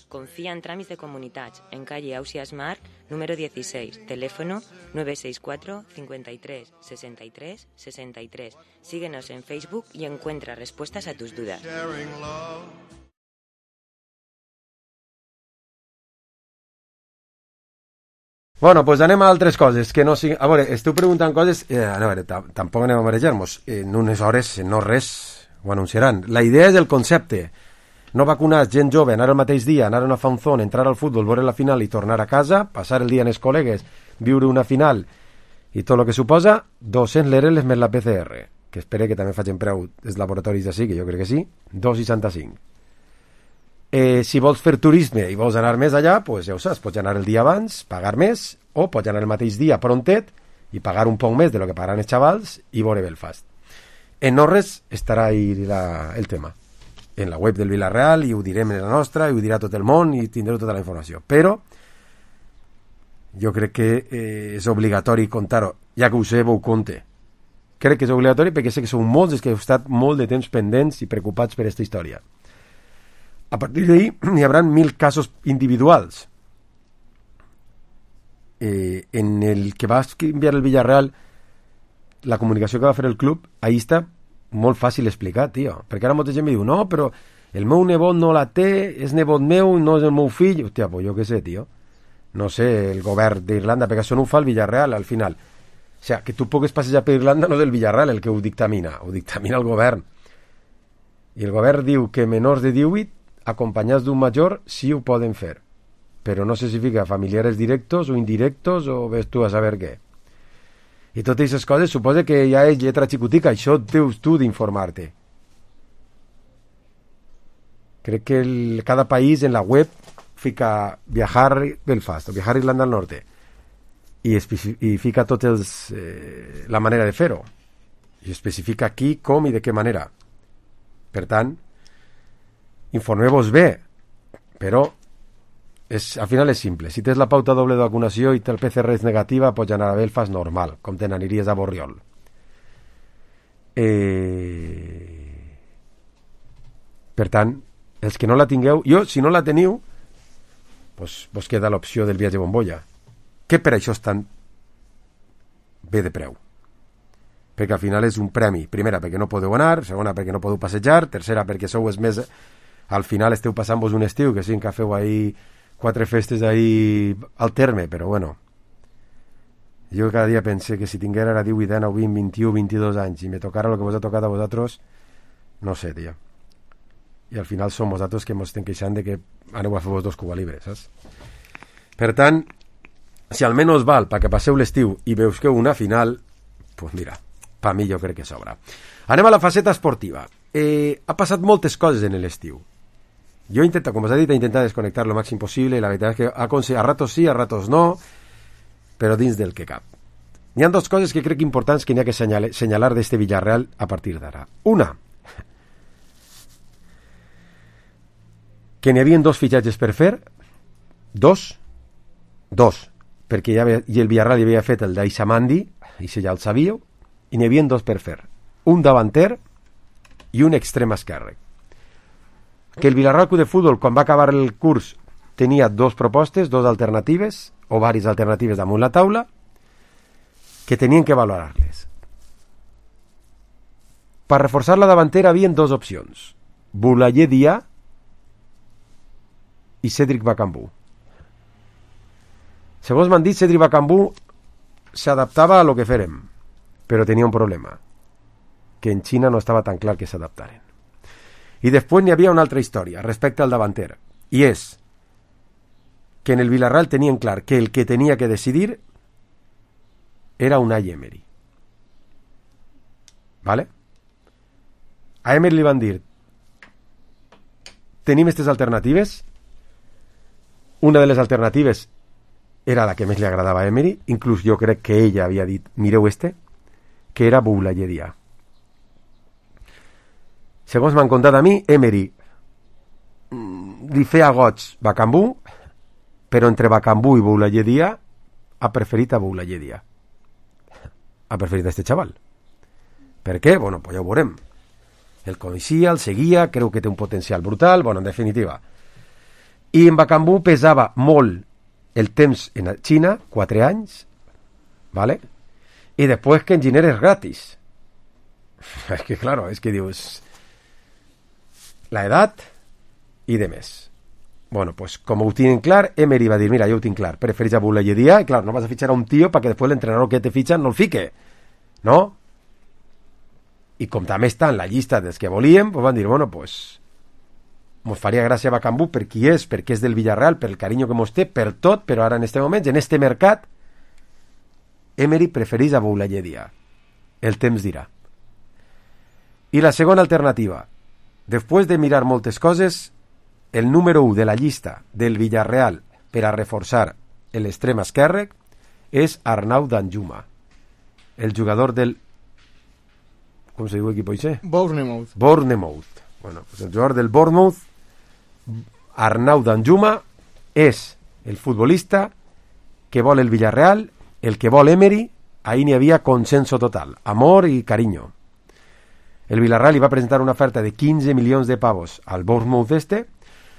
Confía en Tramis de Comunitats, en calle Ausias Mar, número 16, teléfono 964 53 63 63. Síguenos en Facebook y encuentra respuestas a tus dudas. Bueno, pues anem a altres coses que no siguin... A veure, esteu preguntant coses... a veure, tampoc anem a marejar-nos. En unes hores, no res, ho anunciaran. La idea és el concepte. No vacunar gent jove, anar el mateix dia, anar a una fanzón, entrar al futbol, veure la final i tornar a casa, passar el dia amb els col·legues, viure una final i tot el que suposa, 200 l'ERL més la PCR, que espero que també facin preu els laboratoris d'ací, que jo crec que sí, 2,65. Si vols fer turisme i vols anar més allà, pues ja ho saps, pots anar el dia abans, pagar més, o pots anar el mateix dia prontet i pagar un poc més de lo que pagaran els xavals i veure Belfast. En no res estarà ahí el tema. En la web del Vila-real, i ho direm en la nostra, i ho dirà tot el món, i tindreu tota la informació. Però Jo crec que és obligatori contar-ho. Ja que ho sé, ho conte. Crec que és obligatori perquè sé que sou molts els que heu estat molt de temps pendents i preocupats per aquesta història. A partir d'ahí n'hi haurà 1000 casos individuals. En el que va enviar el Villarreal, la comunicació que va fer el club, ahí està molt fàcil explicar, tio. Perquè ara molta gent em diu, no, però el meu nebot no la té, és nebot meu, no és el meu fill. Hòstia, pues jo què sé, tio. No sé, el govern d'Irlanda, perquè això no ho fa el Villarreal al final. O sigui, que tu pugues passejar per Irlanda no és el Villarreal el que ho dictamina el govern. I el govern diu que menors de 18 acompanyats d'un major sí ho poden fer, però no sé si fica familiares directos o indirectos o ves tu a saber què. I totes aquestes coses suposa que ja és lletra xicotica, això deus tu d'informar-te. Crec que cada país en la web fica viajar Belfast o viajar Irlanda del Norte i fica tots la manera de fer-ho i especifica qui, com i de què manera. Per tant, informeu-vos bé, però al final és simple. Si tens la pauta doble de vacunació i el PCR és negativa, pots anar a Belfast normal, com te n'aniries a Borriol. Per tant, els que no la tingueu, si no la teniu, pues vos queda l'opció del viatge bombolla, que per això és tan bé de preu. Perquè al final és un premi. Primera, perquè no podeu anar, segona, perquè no podeu passejar, tercera, perquè sou els més... Al final esteu passant-vos un estiu, que sí que feu ahí 4 festes ahí al terme, però bueno. Jo cada dia pensé que si tinguera ara 18, 19, 20, 21, 22 anys i me tocara el que vos ha tocat a vosaltres, no sé, tia. I al final som vosaltres que ens estem queixant de que aneu a fer-vos 2 Cuba Libre, saps? Per tant, si almenys val perquè passeu l'estiu i veusqueu una final, pues mira, per mi jo crec que sobra. Anem a la faceta esportiva. Ha passat moltes coses en l'estiu. Jo he intentat, com us he dit, desconnectar lo màxim possible i la veritat és que a ratos sí, a ratos no, però dins del que cap. Hi ha 2 coses que crec importants que n'hi ha que senyalar d'este Villarreal a partir d'ara. Una, que n'hi havia 2 fitxatges per fer, 2, perquè el Villarreal ja havia fet el d'Aissamandi, i si ja el sabíeu, i n'hi havia 2 per fer, un davanter i un extrem esquerre. Que el Villarreal Club de Futbol, quan va acabar el curs, tenia 2 propostes, 2 alternatives, o diverses alternatives damunt la taula, que tenien que valorar-les. Per reforçar la davantera havien 2 opcions, Boulaye Dia i Cédric Bakambu. Segons m'han dit, Cédric Bakambu s'adaptava a lo que fèrem, però tenia un problema, que en Xina no estava tan clar que s'adaptaren. I després n'hi havia una altra història respecte al davanter, i és que en el Villarreal tenien clar que el que tenia que decidir era Unai Emery. ¿Vale? A Emery li van dir, tenim aquestes alternatives, una de les alternatives era la que més li agradava a Emery, inclús jo crec que ella havia dit, mireu que era Boulaye Dia. Segons m'han contat a mi, Emery li feia goig Bakambu, però entre Bakambu i Boulaye Dia ha preferit a Boulaye Dia. Ha preferit a este xaval. Per què? Bueno, pues ja ho veurem. El coneixia, el seguia, creu que té un potencial brutal, bueno, en definitiva. I en Bakambu pesava molt el temps en Xina, 4 anys, ¿vale? I després que enginyer és gratis. És que, claro, és que dius... la edat i de més. Bueno, pues como ho tienen clar, Emery va dir, mira, jo ho tinc clar, prefereix a Boulaye Dia, i clar, no vas a fichar a un tío para que después l'entrenador que te fichan no el fique, ¿no? I com també està en la llista dels que volíem, pues van dir, bueno, pues mos faria gràcia a Bakambu per qui és, perquè és del Villarreal, per el carinyo que mos té, per tot, però ara en este moment, en este mercat, Emery prefereix a Boulaye Dia. El temps dirà. I la segona alternativa, després de mirar moltes coses, el número 1 de la llista del Villarreal per a reforçar l'extrem esquerre és Arnau Danjuma, el jugador del... com se diu equip ese? Bournemouth. Bueno, pues el jugador del Bournemouth, Arnau Danjuma, és el futbolista que vol el Villarreal, el que vol Emery, ahí n'hi havia consenso total, amor i carinyo. El Villarreal li va presentar una oferta de 15 milions de pavos al Bournemouth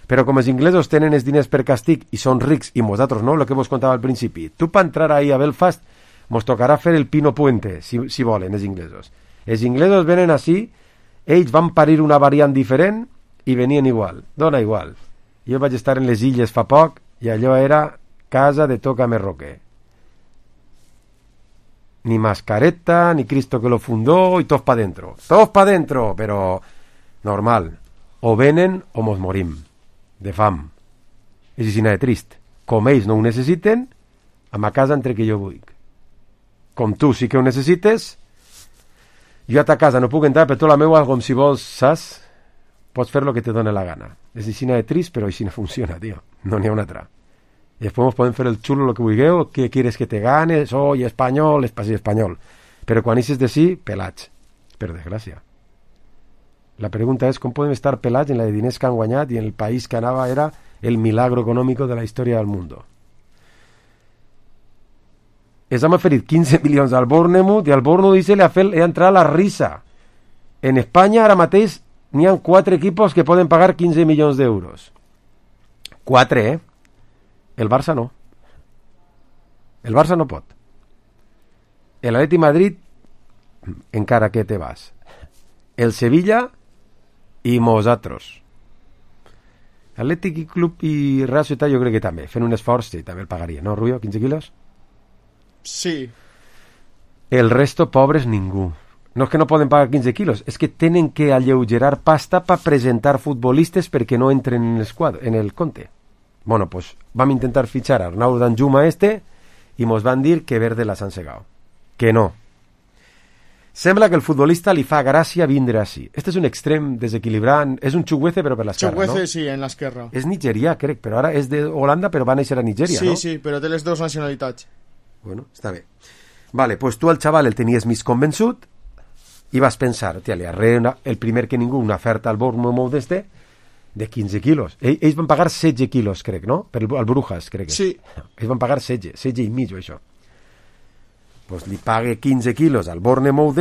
però com els inglesos tenen els diners per castig i són rics i nosaltres no, el que vos contava al principi, tu per entrar ahí a Belfast mos tocarà fer el Pino Puente, si volen els inglesos. Els inglesos venen així, ells van parir una variant diferent i venien igual, dona igual. Jo vaig estar en les illes fa poc i allò era casa de Tócame Roque. Ni mascareta, ni Cristo que lo fundó y todos pa' dentro. Todos pa' dentro, però normal. O venen o mos morim. De fam. És així de trist. Com ells no ho necessiten, a ma casa entre que jo vull. Com tu sí que ho necessites, jo a ta casa no puc entrar, però tu la meua, com si vols, saps? Pots fer lo que te dona la gana. És així de trist, però així no funciona, tio. No n'hi ha una altra. Y después nos pueden hacer el chulo lo que vulgueu, que quieres que te gane, soy español, sí, español. Pero quan dices de sí, pelats. Per desgràcia. La pregunta és com podem estar pelats en la de diners que han guanyat i en el país que anava era el milagro económico de la història del mundo. Es han oferit 15 milions al Bournemouth i al Bournemouth dice le ha entrat la risa. En Espanya ara mateix n'hi ha 4 equipos que poden pagar 15 milions d'euros. 4, El Barça no. El Barça no pot. El Atleti Madrid, encara que te vas. El Sevilla i nosaltres. Atlètic Club i Real Societat jo crec que també. Fent un esforç, sí, també el pagaria. ¿No, Rubio? 15 quilos? Sí. El resto, pobres, ningú. No és que no poden pagar 15 quilos, és que tenen que alleugerar pasta per presentar futbolistes perquè no entren en el compte. Bueno, pues vam intentar fitxar a Arnau Danjuma i mos van dir que verde las han segado. Que no. Sembla que el futbolista li fa gràcia vindre així. Este és un extrem desequilibrant, és un Chukwueze però per l'esquerra, no? Chukwueze sí, en l'esquerra. És nigerià, crec, però ara és d'Holanda però va néixer a Nigèria, sí, no? Sí, però té les dues nacionalitats. Bueno, està bé. Vale, pues tu al xaval el tenies més convençut i vas pensar, tia, li arreu el primer que ningú una oferta al Bournemouth de 15 quilos. Ells van pagar 16 quilos, crec, no? Al Brujas, crec que. Sí. Ells van pagar 16 i mig, això. Pues li pague 15 quilos al Bournemouth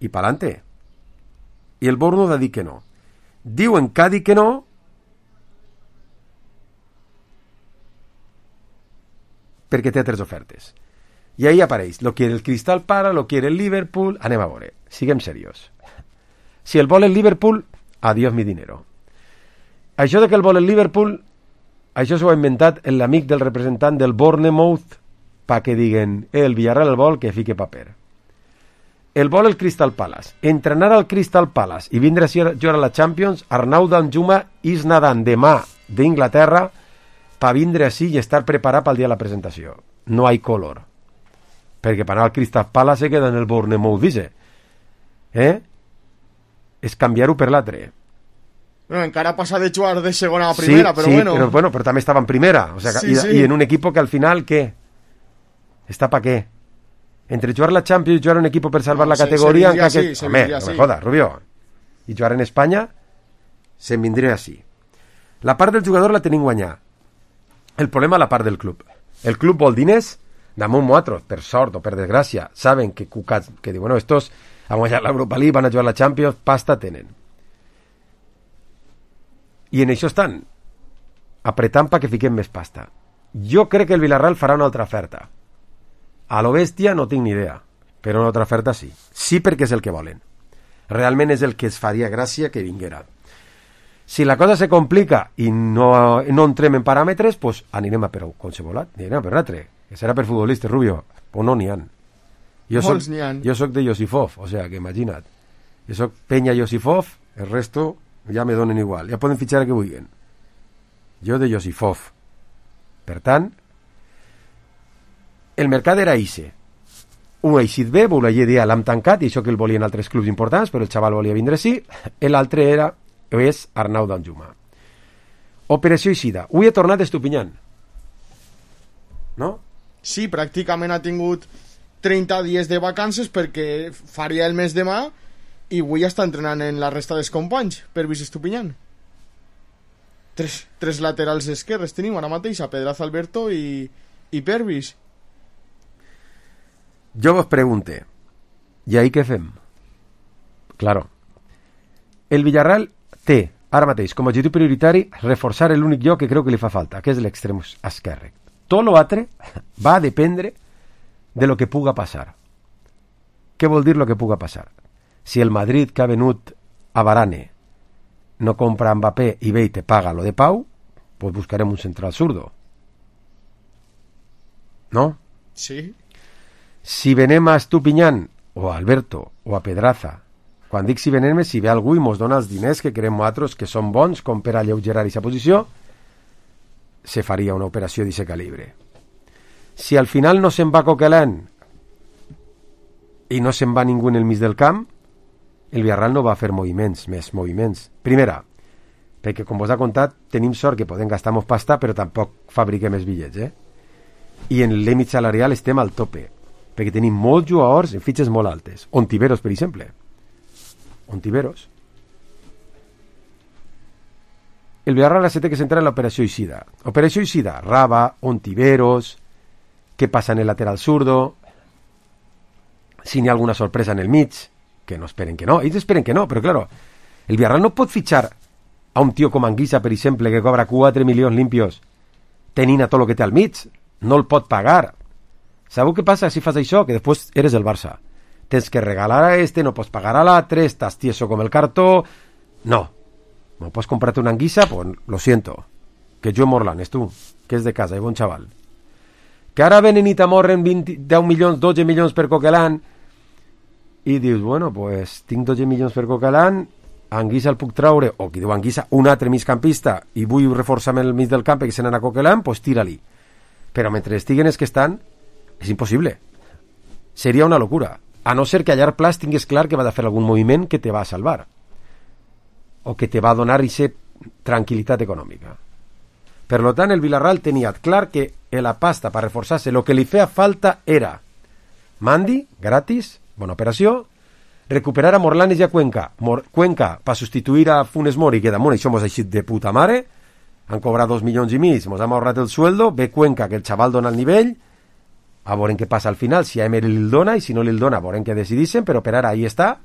i pa'lante. I el Bournemouth ha dit que no. Diuen que ha dit que no perquè té 3 ofertes. I ahí apareix, lo quiere el Crystal Palace, lo quiere el Liverpool, anem a veure, siguem seriós. Si el vol el Liverpool, adiós mi dinero. Això de que el vol el Liverpool, això s'ho ha inventat l'amic del representant del Bournemouth pa que diguen, el Villarreal el vol, que fique paper. El vol el Crystal Palace. Entrenar al Crystal Palace i vindre a jugar a la Champions, Arnau Danjuma és nadant demà d'Inglaterra pa vindre així i estar preparat pel dia de la presentació. No hay color. Perquè per anar al Crystal Palace se queda en el Bournemouth, dice. És canviar-ho per l'altre. Bueno, encara passa de jugar de segona a primera, sí, però bueno. Però també estava en primera. O sea, sí. I en un equipo que al final, ¿qué? ¿Está para qué? Entre jugar la Champions y jugar un equipo per salvar la categoria... Home, no me jodas, Rubio. I jugar en Espanya se'n vindria així. La part del jugador la tenim guanyar. El problema la part del club. El club vol diners damunt nosaltres, per sort o per desgràcia. Saben que cucats, que diuen, bueno, estos han guanyat l'Europa League, van a jugar la Champions, pasta tenen. I en això estan apretant perquè fiquem més pasta. Jo crec que el Villarreal farà una altra oferta. A lo bèstia no tinc ni idea, però una altra oferta sí. Sí, perquè és el que volen. Realment és el que es faria gràcia que vinguera. Si la cosa se complica i no entrem en paràmetres, pues anirem a per qualsevol, anirem a per un altre, que serà per futbolistes, Rubio, o no n'hi ha. Jo soc de Josifov, o sea, que imagina't. Jo soc Peña Josifov, el resto ja me donen igual, ja poden fitxar el que vulguin. Jo de Josifov. Per tant, el mercat era ixe. Un eixit bé, volia dir, l'hem tancat, i això que el volien altres clubs importants, però el xaval volia vindre sí, l'altre és Arnau Danjuma. Operació Eixida. Avui he tornat Estupinyán. No? Sí, pràcticament ha tingut 30 dies de vacances perquè faria el mes demà i avui està entrenant en la resta dels companys per Vice Estupinyán. tres laterals esquerres tenim ara mateix, a Pedraza, Alberto i Pervis. Jo vos pregunte, i ahí què fem? Claro, el Villarreal té ara mateix com a objectiu prioritari reforçar l'únic lloc que creu que li fa falta, que és l'extrem esquerre. Tot l'altre va a dependre de lo que puga passar. Què vol dir lo que puga passar? Si el Madrid que ha venut a Varane no compra Mbappé i ve i te paga lo de Pau, pues buscarem un central zurdo. ¿No? Sí. Si venem a Estupiñán o a Alberto o a Pedraza, quan dic si venem si ve algú i mos dona els diners que querem nosaltres que són bons com per alleugerar aquesta posició, se faria una operació d'aquest calibre. Si al final no se'n va Coquelin i no se'n va ningú en el mig del camp, el Villarreal no va fer més moviments. Primera, perquè com vos ha contat, tenim sort que podem gastar més pasta, però tampoc fabriquem més bitllets, I en límit salarial estem al tope, perquè tenim molts jugadors en fitxes molt altes. Ontiveros, per exemple. Ontiveros. El Villarreal se té que centrar en l'operació Eixida. Operació Eixida, Raba, Ontiveros, què passa en el lateral zurdo, si n'hi ha alguna sorpresa en el mig, que no esperen que no. Ells esperen que no, però claro, el Villarreal no pot fitxar a un tio com Anguissa, per exemple, que cobra 4 milions limpios, tenint a tot el que té al mig. No el pot pagar. Sabeu què passa si fas això? Que després eres el Barça. Tens que regalar a este, no pots pagar a l'altre, estàs tieso com el cartó. No. No pots comprar-te una Anguissa? Pues lo siento. Que Joe Morlan és tu, que és de casa, bon xaval. Que ara venen i t'amorren 10 milions, 12 milions per Coquelin i dius, bueno, pues tinc 12 milions per Coquelin, Anguissa el puc traure, o qui diu Anguissa, un altre migcampista, i vull reforçar-me el mig del camp que se n'anà a Coquelin, pues tira-li. Però mentre estiguen els que estan, és impossible. Seria una locura. A no ser que a llarg plaç tingues clar que va de fer algun moviment que te va a salvar. O que te va a donar aquesta tranquil·litat econòmica. Per lo tant, el Villarreal tenia clar que la pasta per reforçar-se el que li feia falta era Mandi, gratis, bona operació, recuperar a Morlanes i a Cuenca. Cuenca per substituir a Funes Mori, que damunt això mos ha eixit de puta mare, han cobrat 2 milions i mig, mos hem ahorrat el sueldo, ve Cuenca, que el xaval dona el nivell, a veure què passa al final, si a Emery li dona, i si no li dona, veurem què decidixen, però per ara ahí està.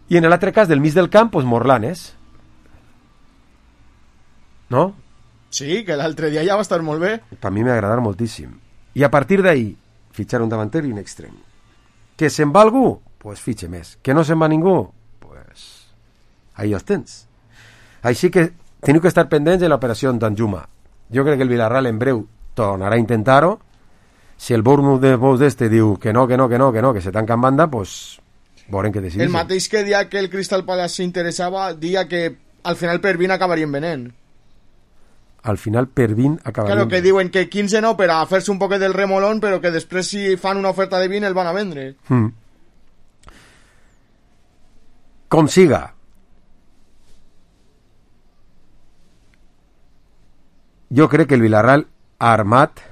I en l'altre cas, del mig del camp, pues Morlanes. No? Sí, que l'altre dia ja va estar molt bé. Per mi m'ha agradat moltíssim. I a partir d'ahí, fitxar un davanter i un extrem. Que se'n va algú? Pues fitxe més. Que no se'n va ningú? Pues ahí els tens. Així que teniu que estar pendents de l'operació d'Anjuma. Jo crec que el Villarreal en breu tornarà a intentar-ho. Si el Bournemouth de Bous d'este diu que no, que se tanca en banda, pues veurem què decideix. El mateix que dia que el Crystal Palace s'interessava, dia que al final Pervin acabarien venent. Al final Pervin acabarien... Claro, que diuen que 15 no per a fer-se un poquet del remolón, però que després si fan una oferta de 20 el van a vendre. Com siga. Jo crec que el Villarreal ha armat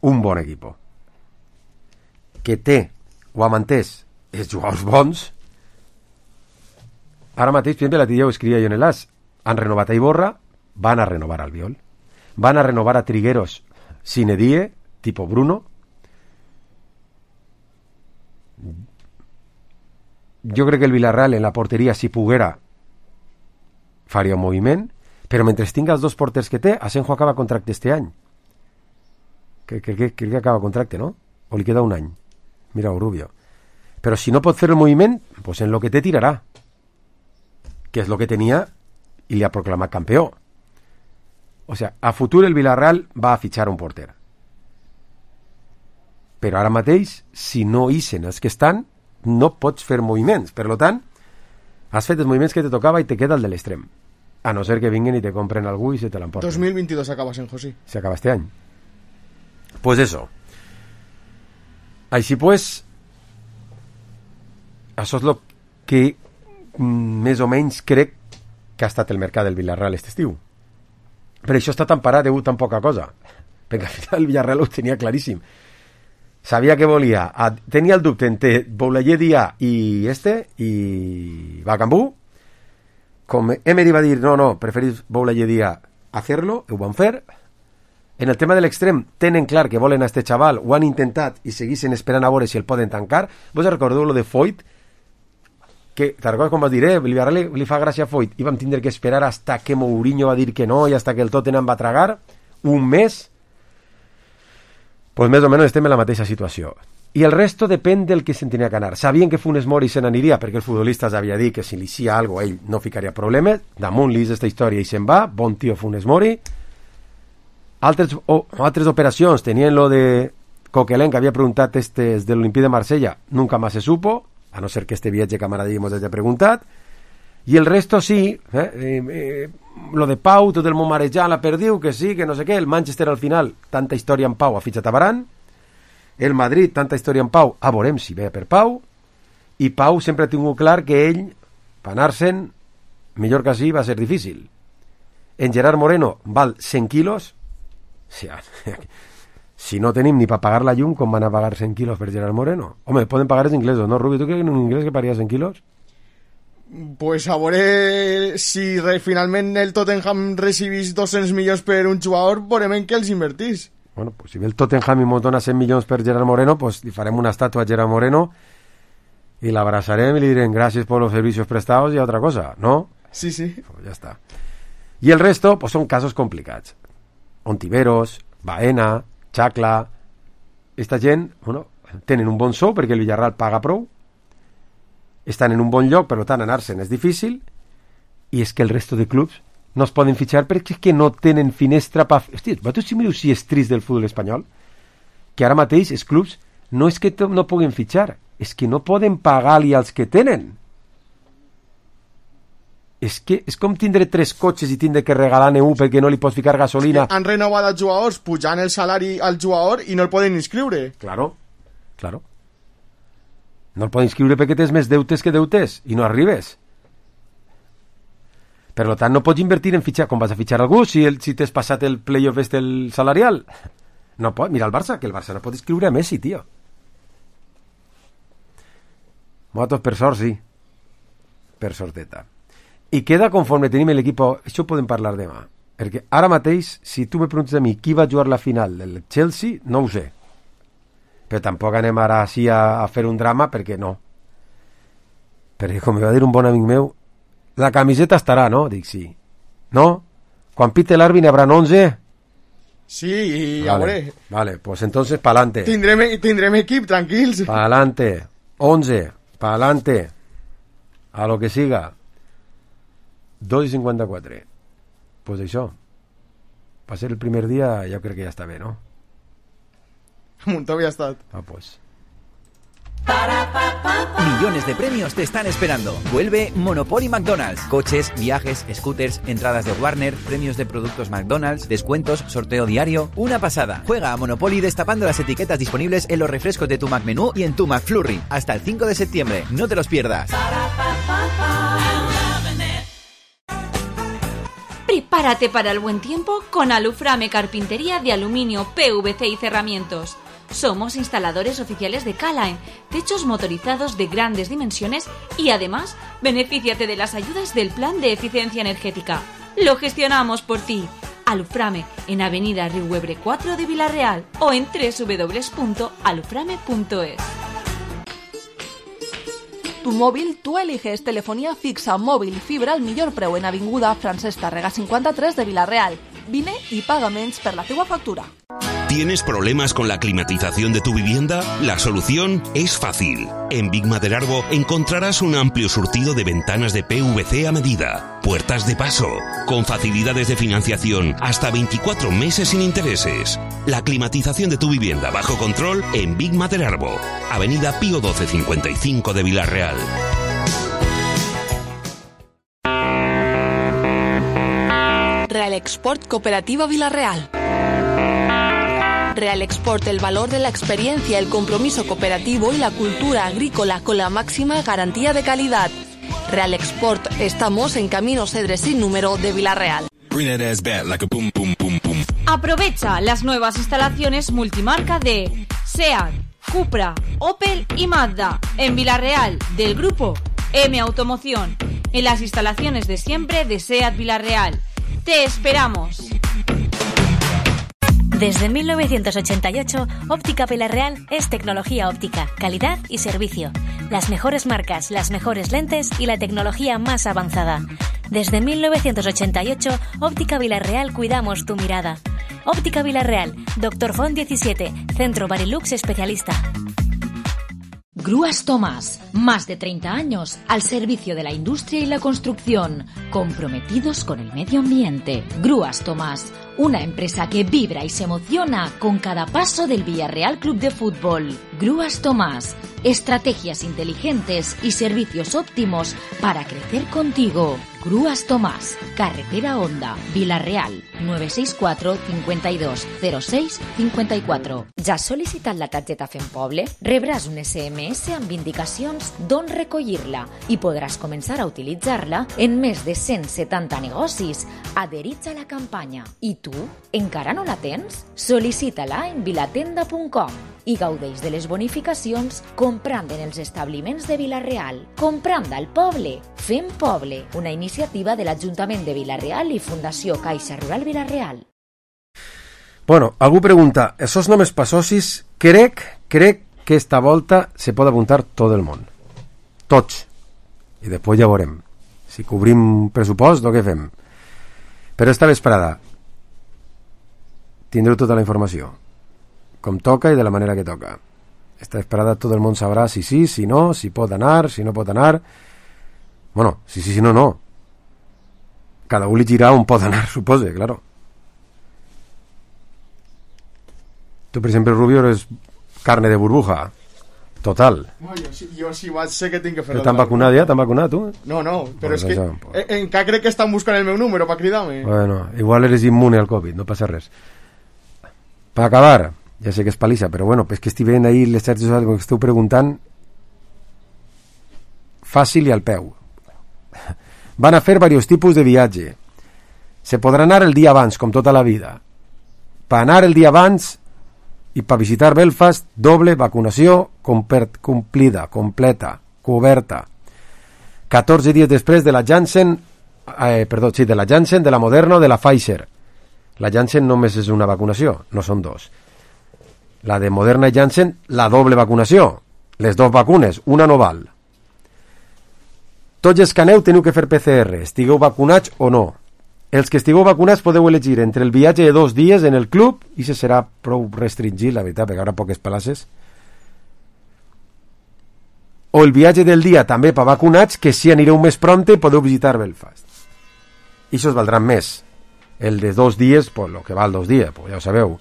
un bon equip que té o ha mantès els jugadors bons. Ara mateix, per exemple, l'altre dia ho escrivia jo en l'As, han renovat a Iborra, van a renovar Albiol, van a renovar a Trigueros sine die, tipo Bruno. Jo crec que el Villarreal en la porteria, si poguera, faria un moviment, però mentre tinga els dos porters que té, Asenjo acaba contracte este any. Crec que acaba contracte, no? O li queda un any. Mira, Rubio. Però si no pot fer el moviment, pues en lo que té tirarà. Que és lo que tenia i li ha proclamat campió. O sea, a futur el Villarreal va a fitxar un porter. Però ara mateix, si no ixen els que estan, no pots fer moviments. Per tant, has fet els moviments que te tocava i te queda el de l'extrem. A no ser que vinguen i te compren algú i se te l'emporten. 2022 acaba Asenjo, sí. Se acaba este any. Pues eso. Així pues, això és el que més o menys crec que ha estat el mercat del Villarreal aquest estiu. Per això està tan parat degut tan poca cosa. Perquè al final el Villarreal ho tenia claríssim. Sabia que volia. Tenia el dubte entre Boulaye Dia i Bacambú. com Emery va dir, no, preferís voler dia hacerlo, ho van fer. En el tema de l'extrem, tenen clar que volen a este xaval, ho han intentat i seguissin esperant a veure si el poden tancar. Vos recordeu lo de Foyt? Que, te'n recordes com vas dir, Villarreal li fa gràcia a Foyt, i vam tindre que esperar hasta que Mourinho va dir que no i hasta que el Tottenham va tragar un mes. Pues més o menys estem en la mateixa situació. I el resto depèn del que se'n tenia que anar. Sabien que Funes Mori se n'aniria perquè el futbolista havia dit que si li hacía algo ell no ficaria problemes. Damunt li és esta història i se'n va. Bon tio Funes Mori. Altres operacions tenien lo de Coquelin, que havia preguntat des de l'Olimpí de Marsella. Nunca más se supo, a no ser que este viatge camaradismo hagi preguntat. I el resto sí, lo de Pau, tot el món marejant la perdiu, que sí, que no sé què. El Manchester al final, tanta història en Pau, ha fitxat a Varane. El Madrid, tanta història en Pau, a veurem si ve per Pau. I Pau sempre ha tingut clar que ell, per anar-se'n, millor que sí, va ser difícil. En Gerard Moreno val 100 quilos. Si no tenim ni per pagar la llum, com van a pagar 100 quilos per Gerard Moreno? Home, poden pagar els inglesos, ¿no, Rubio? ¿Tú crees que en un inglés que pagaria 100 quilos? Pues a veure si finalment el Tottenham recibís 200 milions per un jugador, veurem en què els invertís. Bueno, pues si ve el Tottenham i mos dona 100 milions per Gerard Moreno, pues li farem una estàtua a Gerard Moreno i l'abrazarem i li direm gràcies per los servicios prestados i otra cosa, ¿no? Sí. Pues ya está. Y el resto, pues son casos complicats. Ontiveros, Baena, Chacla... Esta gent, bueno, tenen un bon sou perquè el Villarreal paga prou, estan en un bon lloc, per tant anar-se'n és difícil, i és que el resto de clubs no es poden fitxar perquè és que no tenen finestra per... Hòstia, vosaltres si mireu si és trist del futbol espanyol, que ara mateix els clubs no és que no puguen fitxar, és que no poden pagar-li als que tenen. És que és com tindre 3 cotxes i tindre que regalar neu perquè no li pots ficar gasolina. Han renovat els jugadors pujant el salari al jugador i no el poden inscriure. Claro. No el poden inscriure perquè tens més deutes que deutes i no arribes. Per tant, no pots invertir en fitxar. Com vas a fitxar algú si t'has passat el playoff el salarial? No pot. Mira el Barça, que el Barça no pot inscriure a Messi, tio. Motos per sort, sí. Per sorteta. I queda conforme tenim l'equip. Això ho podem parlar demà. Perquè ara mateix, si tu me preguntes a mi qui va jugar la final del Chelsea, no ho sé. Però tampoc anem ara així a fer un drama, perquè no. Perquè, com me va dir un bon amic meu, la camiseta estarà, no? Dic, sí. No? Quan pite l'àrbitre n'hi haurà 11? Sí, i a veure. Vale, pues entonces pa'lante. Tindrem equip, tranquils. Pa'lante. 11. Pa'lante. A lo que siga. 2:54. Pues això. Va ser el primer dia, jo crec que ja està bé, no? Muntó había estado. Pues. Millones de premios te están esperando. Vuelve Monopoly McDonald's. Coches, viajes, scooters, entradas de Warner, premios de productos McDonald's, descuentos, sorteo diario. Una pasada. Juega a Monopoly destapando las etiquetas disponibles en los refrescos de tu McMenú y en tu McFlurry. Hasta el 5 de septiembre. No te los pierdas. Prepárate para el buen tiempo con Aluframe Carpintería de Aluminio, PVC y Cerramientos. Somos instaladores oficiales de K-Line, techos motorizados de grandes dimensiones y además benefíciate de las ayudas del Plan de Eficiencia Energética. Lo gestionamos por ti. Aluframe en Avenida Riuebre 4 de Villarreal o en www.aluframe.es. Tu móvil, tú eliges telefonía fixa, móvil y fibra al millor preu en Avinguda Francesc Tàrrega 53 de Villarreal. Vine y paga menys per la teua factura. ¿Tienes problemas con la climatización de tu vivienda? La solución es fácil. En Big Maderarbo encontrarás un amplio surtido de ventanas de PVC a medida, puertas de paso, con facilidades de financiación hasta 24 meses sin intereses. La climatización de tu vivienda bajo control en Big Maderarbo, Avenida Pío XII 55 de Villarreal. Real Export Cooperativa Villarreal. Real Export, el valor de la experiencia, el compromiso cooperativo y la cultura agrícola con la máxima garantía de calidad. Real Export, estamos en Camino Cedre sin número de Villarreal. Aprovecha las nuevas instalaciones multimarca de SEAT, Cupra, Opel y Mazda en Villarreal del grupo M Automoción. en las instalaciones de siempre de SEAT Villarreal. ¡Te esperamos! Desde 1988, Óptica Villarreal es tecnología óptica, calidad y servicio. Las mejores marcas, las mejores lentes y la tecnología más avanzada. Desde 1988, Óptica Villarreal cuidamos tu mirada. Óptica Villarreal, Dr. Font 17, Centro Barilux especialista. Grúas Tomás, más de 30 años al servicio de la industria y la construcción, comprometidos con el medio ambiente. Grúas Tomás, una empresa que vibra y se emociona con cada paso del Villarreal Club de Fútbol. Grúas Tomás, estrategias inteligentes y servicios óptimos para crecer contigo. Grúas Tomás, Carretera Honda, Villarreal, 964 52 06 54. Ja has sol·licitat la targeta Fem Poble? Rebràs un SMS amb indicacions d'on recollir-la i podràs començar a utilitzar-la en més de 170 negocis adherits a la campanya. I tu, encara no la tens? Sol·licita-la en vilatenda.com i gaudeix de les bonificacions comprant en els establiments de Villarreal. Comprant al poble. Fem Poble, una iniciativa de l'Ajuntament de Villarreal i Fundació Caixa Rural Villarreal. Bueno, algú pregunta, esos nomes pa socis, crec que esta volta se pot apuntar tot el món. Tots. I després ja veurem. Si cobrim pressupost o què fem. Però esta vesprada tindreu tota la informació. Com toca i de la manera que toca. Esta vesprada tot el món sabrà si sí, si no, si pot anar, si no pot anar. Bueno, si sí, si no, no. Cada un li girà on pot anar, supose, claro. Tu, per exemple, Rubio, eres carne de burbuja. Total. No, jo si vaig sé que tinc que fer... Però t'han vacunat ja? T'han vacunat, tu? No, però és que encara crec que estan buscant el meu número per cridar-me. Bueno, igual eres immune al Covid, no passa res. Per acabar, ja sé que és palissa, però bueno, és que estic veient ahir les xarxes socials que esteu preguntant fàcil i al peu. Van a fer diversos tipus de viatge. Se podrà anar el dia abans, com tota la vida. Per anar el dia abans i per visitar Belfast, doble vacunació complida, completa, coberta. 14 dies després de la Janssen, de la Janssen, de la Moderna o de la Pfizer. La Janssen només és una vacunació, no són dos. La de Moderna i Janssen, la doble vacunació. Les dues vacunes, una no val. Tots els que aneu teniu que fer PCR, estigueu vacunats o no. Els que estigueu vacunats podeu elegir entre el viatge de 2 dies en el club, i se serà prou restringit, la veritat, perquè hi haurà poques places, o el viatge del dia també per vacunats, que si anireu més prompte podeu visitar Belfast. I això us valdran més. El de 2 dies, pues lo que val 2 dies, pues ja ho sabeu.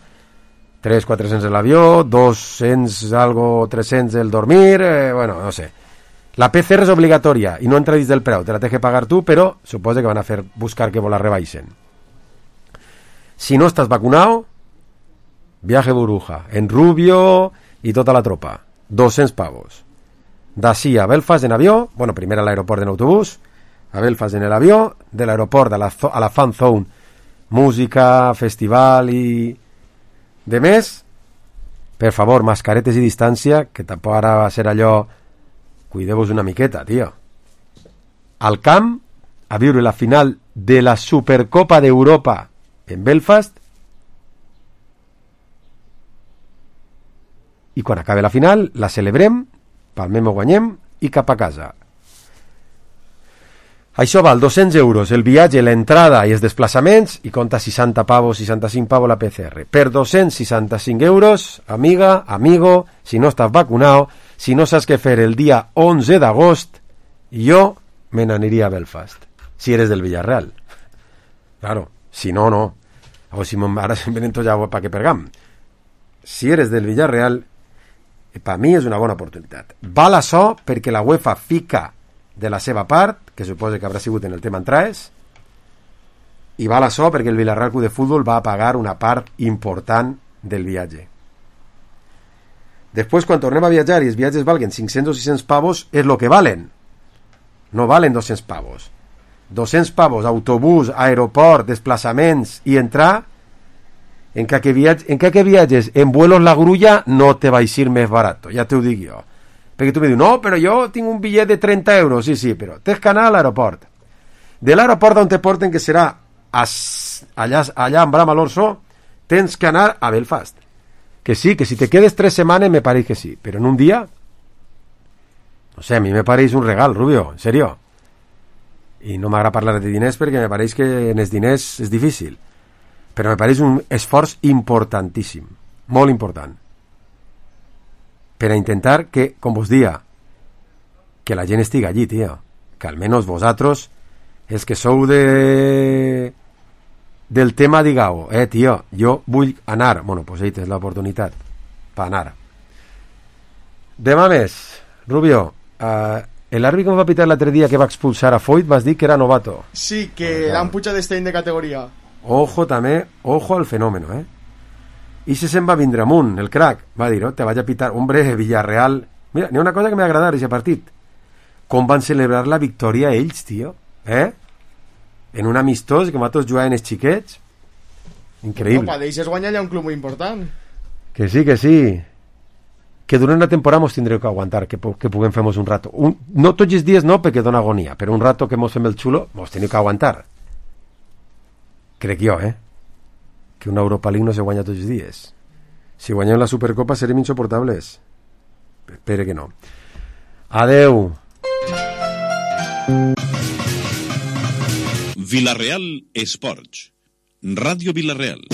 300-400 l'avió, 200 algo, 300 el dormir, bueno, no sé. La PCR és obligatòria i no entra dins del preu, te la tens que pagar tu, però suposa que van a fer buscar que vos la rebaixen. Si no estàs vacunado, viaje burbuja, en Rubio i tota la tropa, 200 pavos. D'ací a Belfast en avió, bueno, primer a l'aeroport en autobús, a Belfast en l'avió, de l'aeroport a la fan zone, música, festival i de més, per favor, mascaretes i distància, que tampoc ara va ser allò. Cuideu-vos una miqueta, tio. Al camp, a viure la final de la Supercopa d'Europa en Belfast, i quan acabi la final la celebrem, palmem o guanyem i cap a casa. Això val 200 euros el viatge, l'entrada i els desplaçaments, i compta 60 pavos, 65 pavos la PCR. Per 265 euros, amiga, amigo, si no estàs vacunado, si no saps què fer el dia 11 d'agost, jo me n'aniria a Belfast, si eres del Villarreal. Claro, si no, no. O si ara se'n venen tots ja pa que pergam. Si eres del Villarreal, per mi és una bona oportunitat. Val això perquè la UEFA fica de la seva part, que suposa que haurà sigut en el tema entrades, i val això perquè el Villarreal Club de Futbol va a pagar una part important del viatge. Després, quan tornem a viatjar i els viatges valguen 500 o 600 pavos, és el que valen. No valen 200 pavos. 200 pavos, autobús, aeroport, desplaçaments i entrar, en que viatges en vuelos la grulla no te va a ir més barat, ja t'ho dic jo. Perquè tu me dius, no, però jo tinc un bitllet de 30 euros. Sí, però tens que anar a l'aeroport. De l'aeroport on te porten, que serà allà en Bramalorso, tens que anar a Belfast. Que sí, que si te quedes 3 setmanes me pareix que sí, però en un dia, no sé, a mi me pareix un regal, Rubio, en serio. I no m'agrada parlar de diners perquè me pareix que en els diners és difícil, però me pareix un esforç importantíssim, molt important, per a intentar que, com vos dia, que la gent estigui allí, tio, que almenys vosaltres, els que sou del tema, digueu, tio, jo vull anar. Bueno, pues ahí tens l'oportunitat per anar. Demà més, Rubio, l'àrbitre que em va pitar l'altre dia que va expulsar a Foyt vas dir que era novato. Sí, que l'han pujat d'estany de categoria. Ojo també, ojo al fenómeno, I se se'n va vindre amunt, el crack. Va dir, te vaig a pitar, hombre, Villarreal. Mira, n'hi ha una cosa que m'ha agradat aquest partit. Com van celebrar la victòria ells, tio. En un amistós, com a tots jugaven els xiquets. Increïble. No, deixes guanyar allà un club molt important. Que sí. Que durant la temporada mos tindreu que aguantar, que puguem fer-nos un rato. No tots els dies no, perquè dona agonia, però un rato que mos fem el xulo, mos teniu que aguantar. Crec jo, que una Europa League no se guanya tots els dies. Si guanyem la Supercopa serem insoportables. Espero que no. Adeu. Vilareal Esports. Ràdio Vilareal.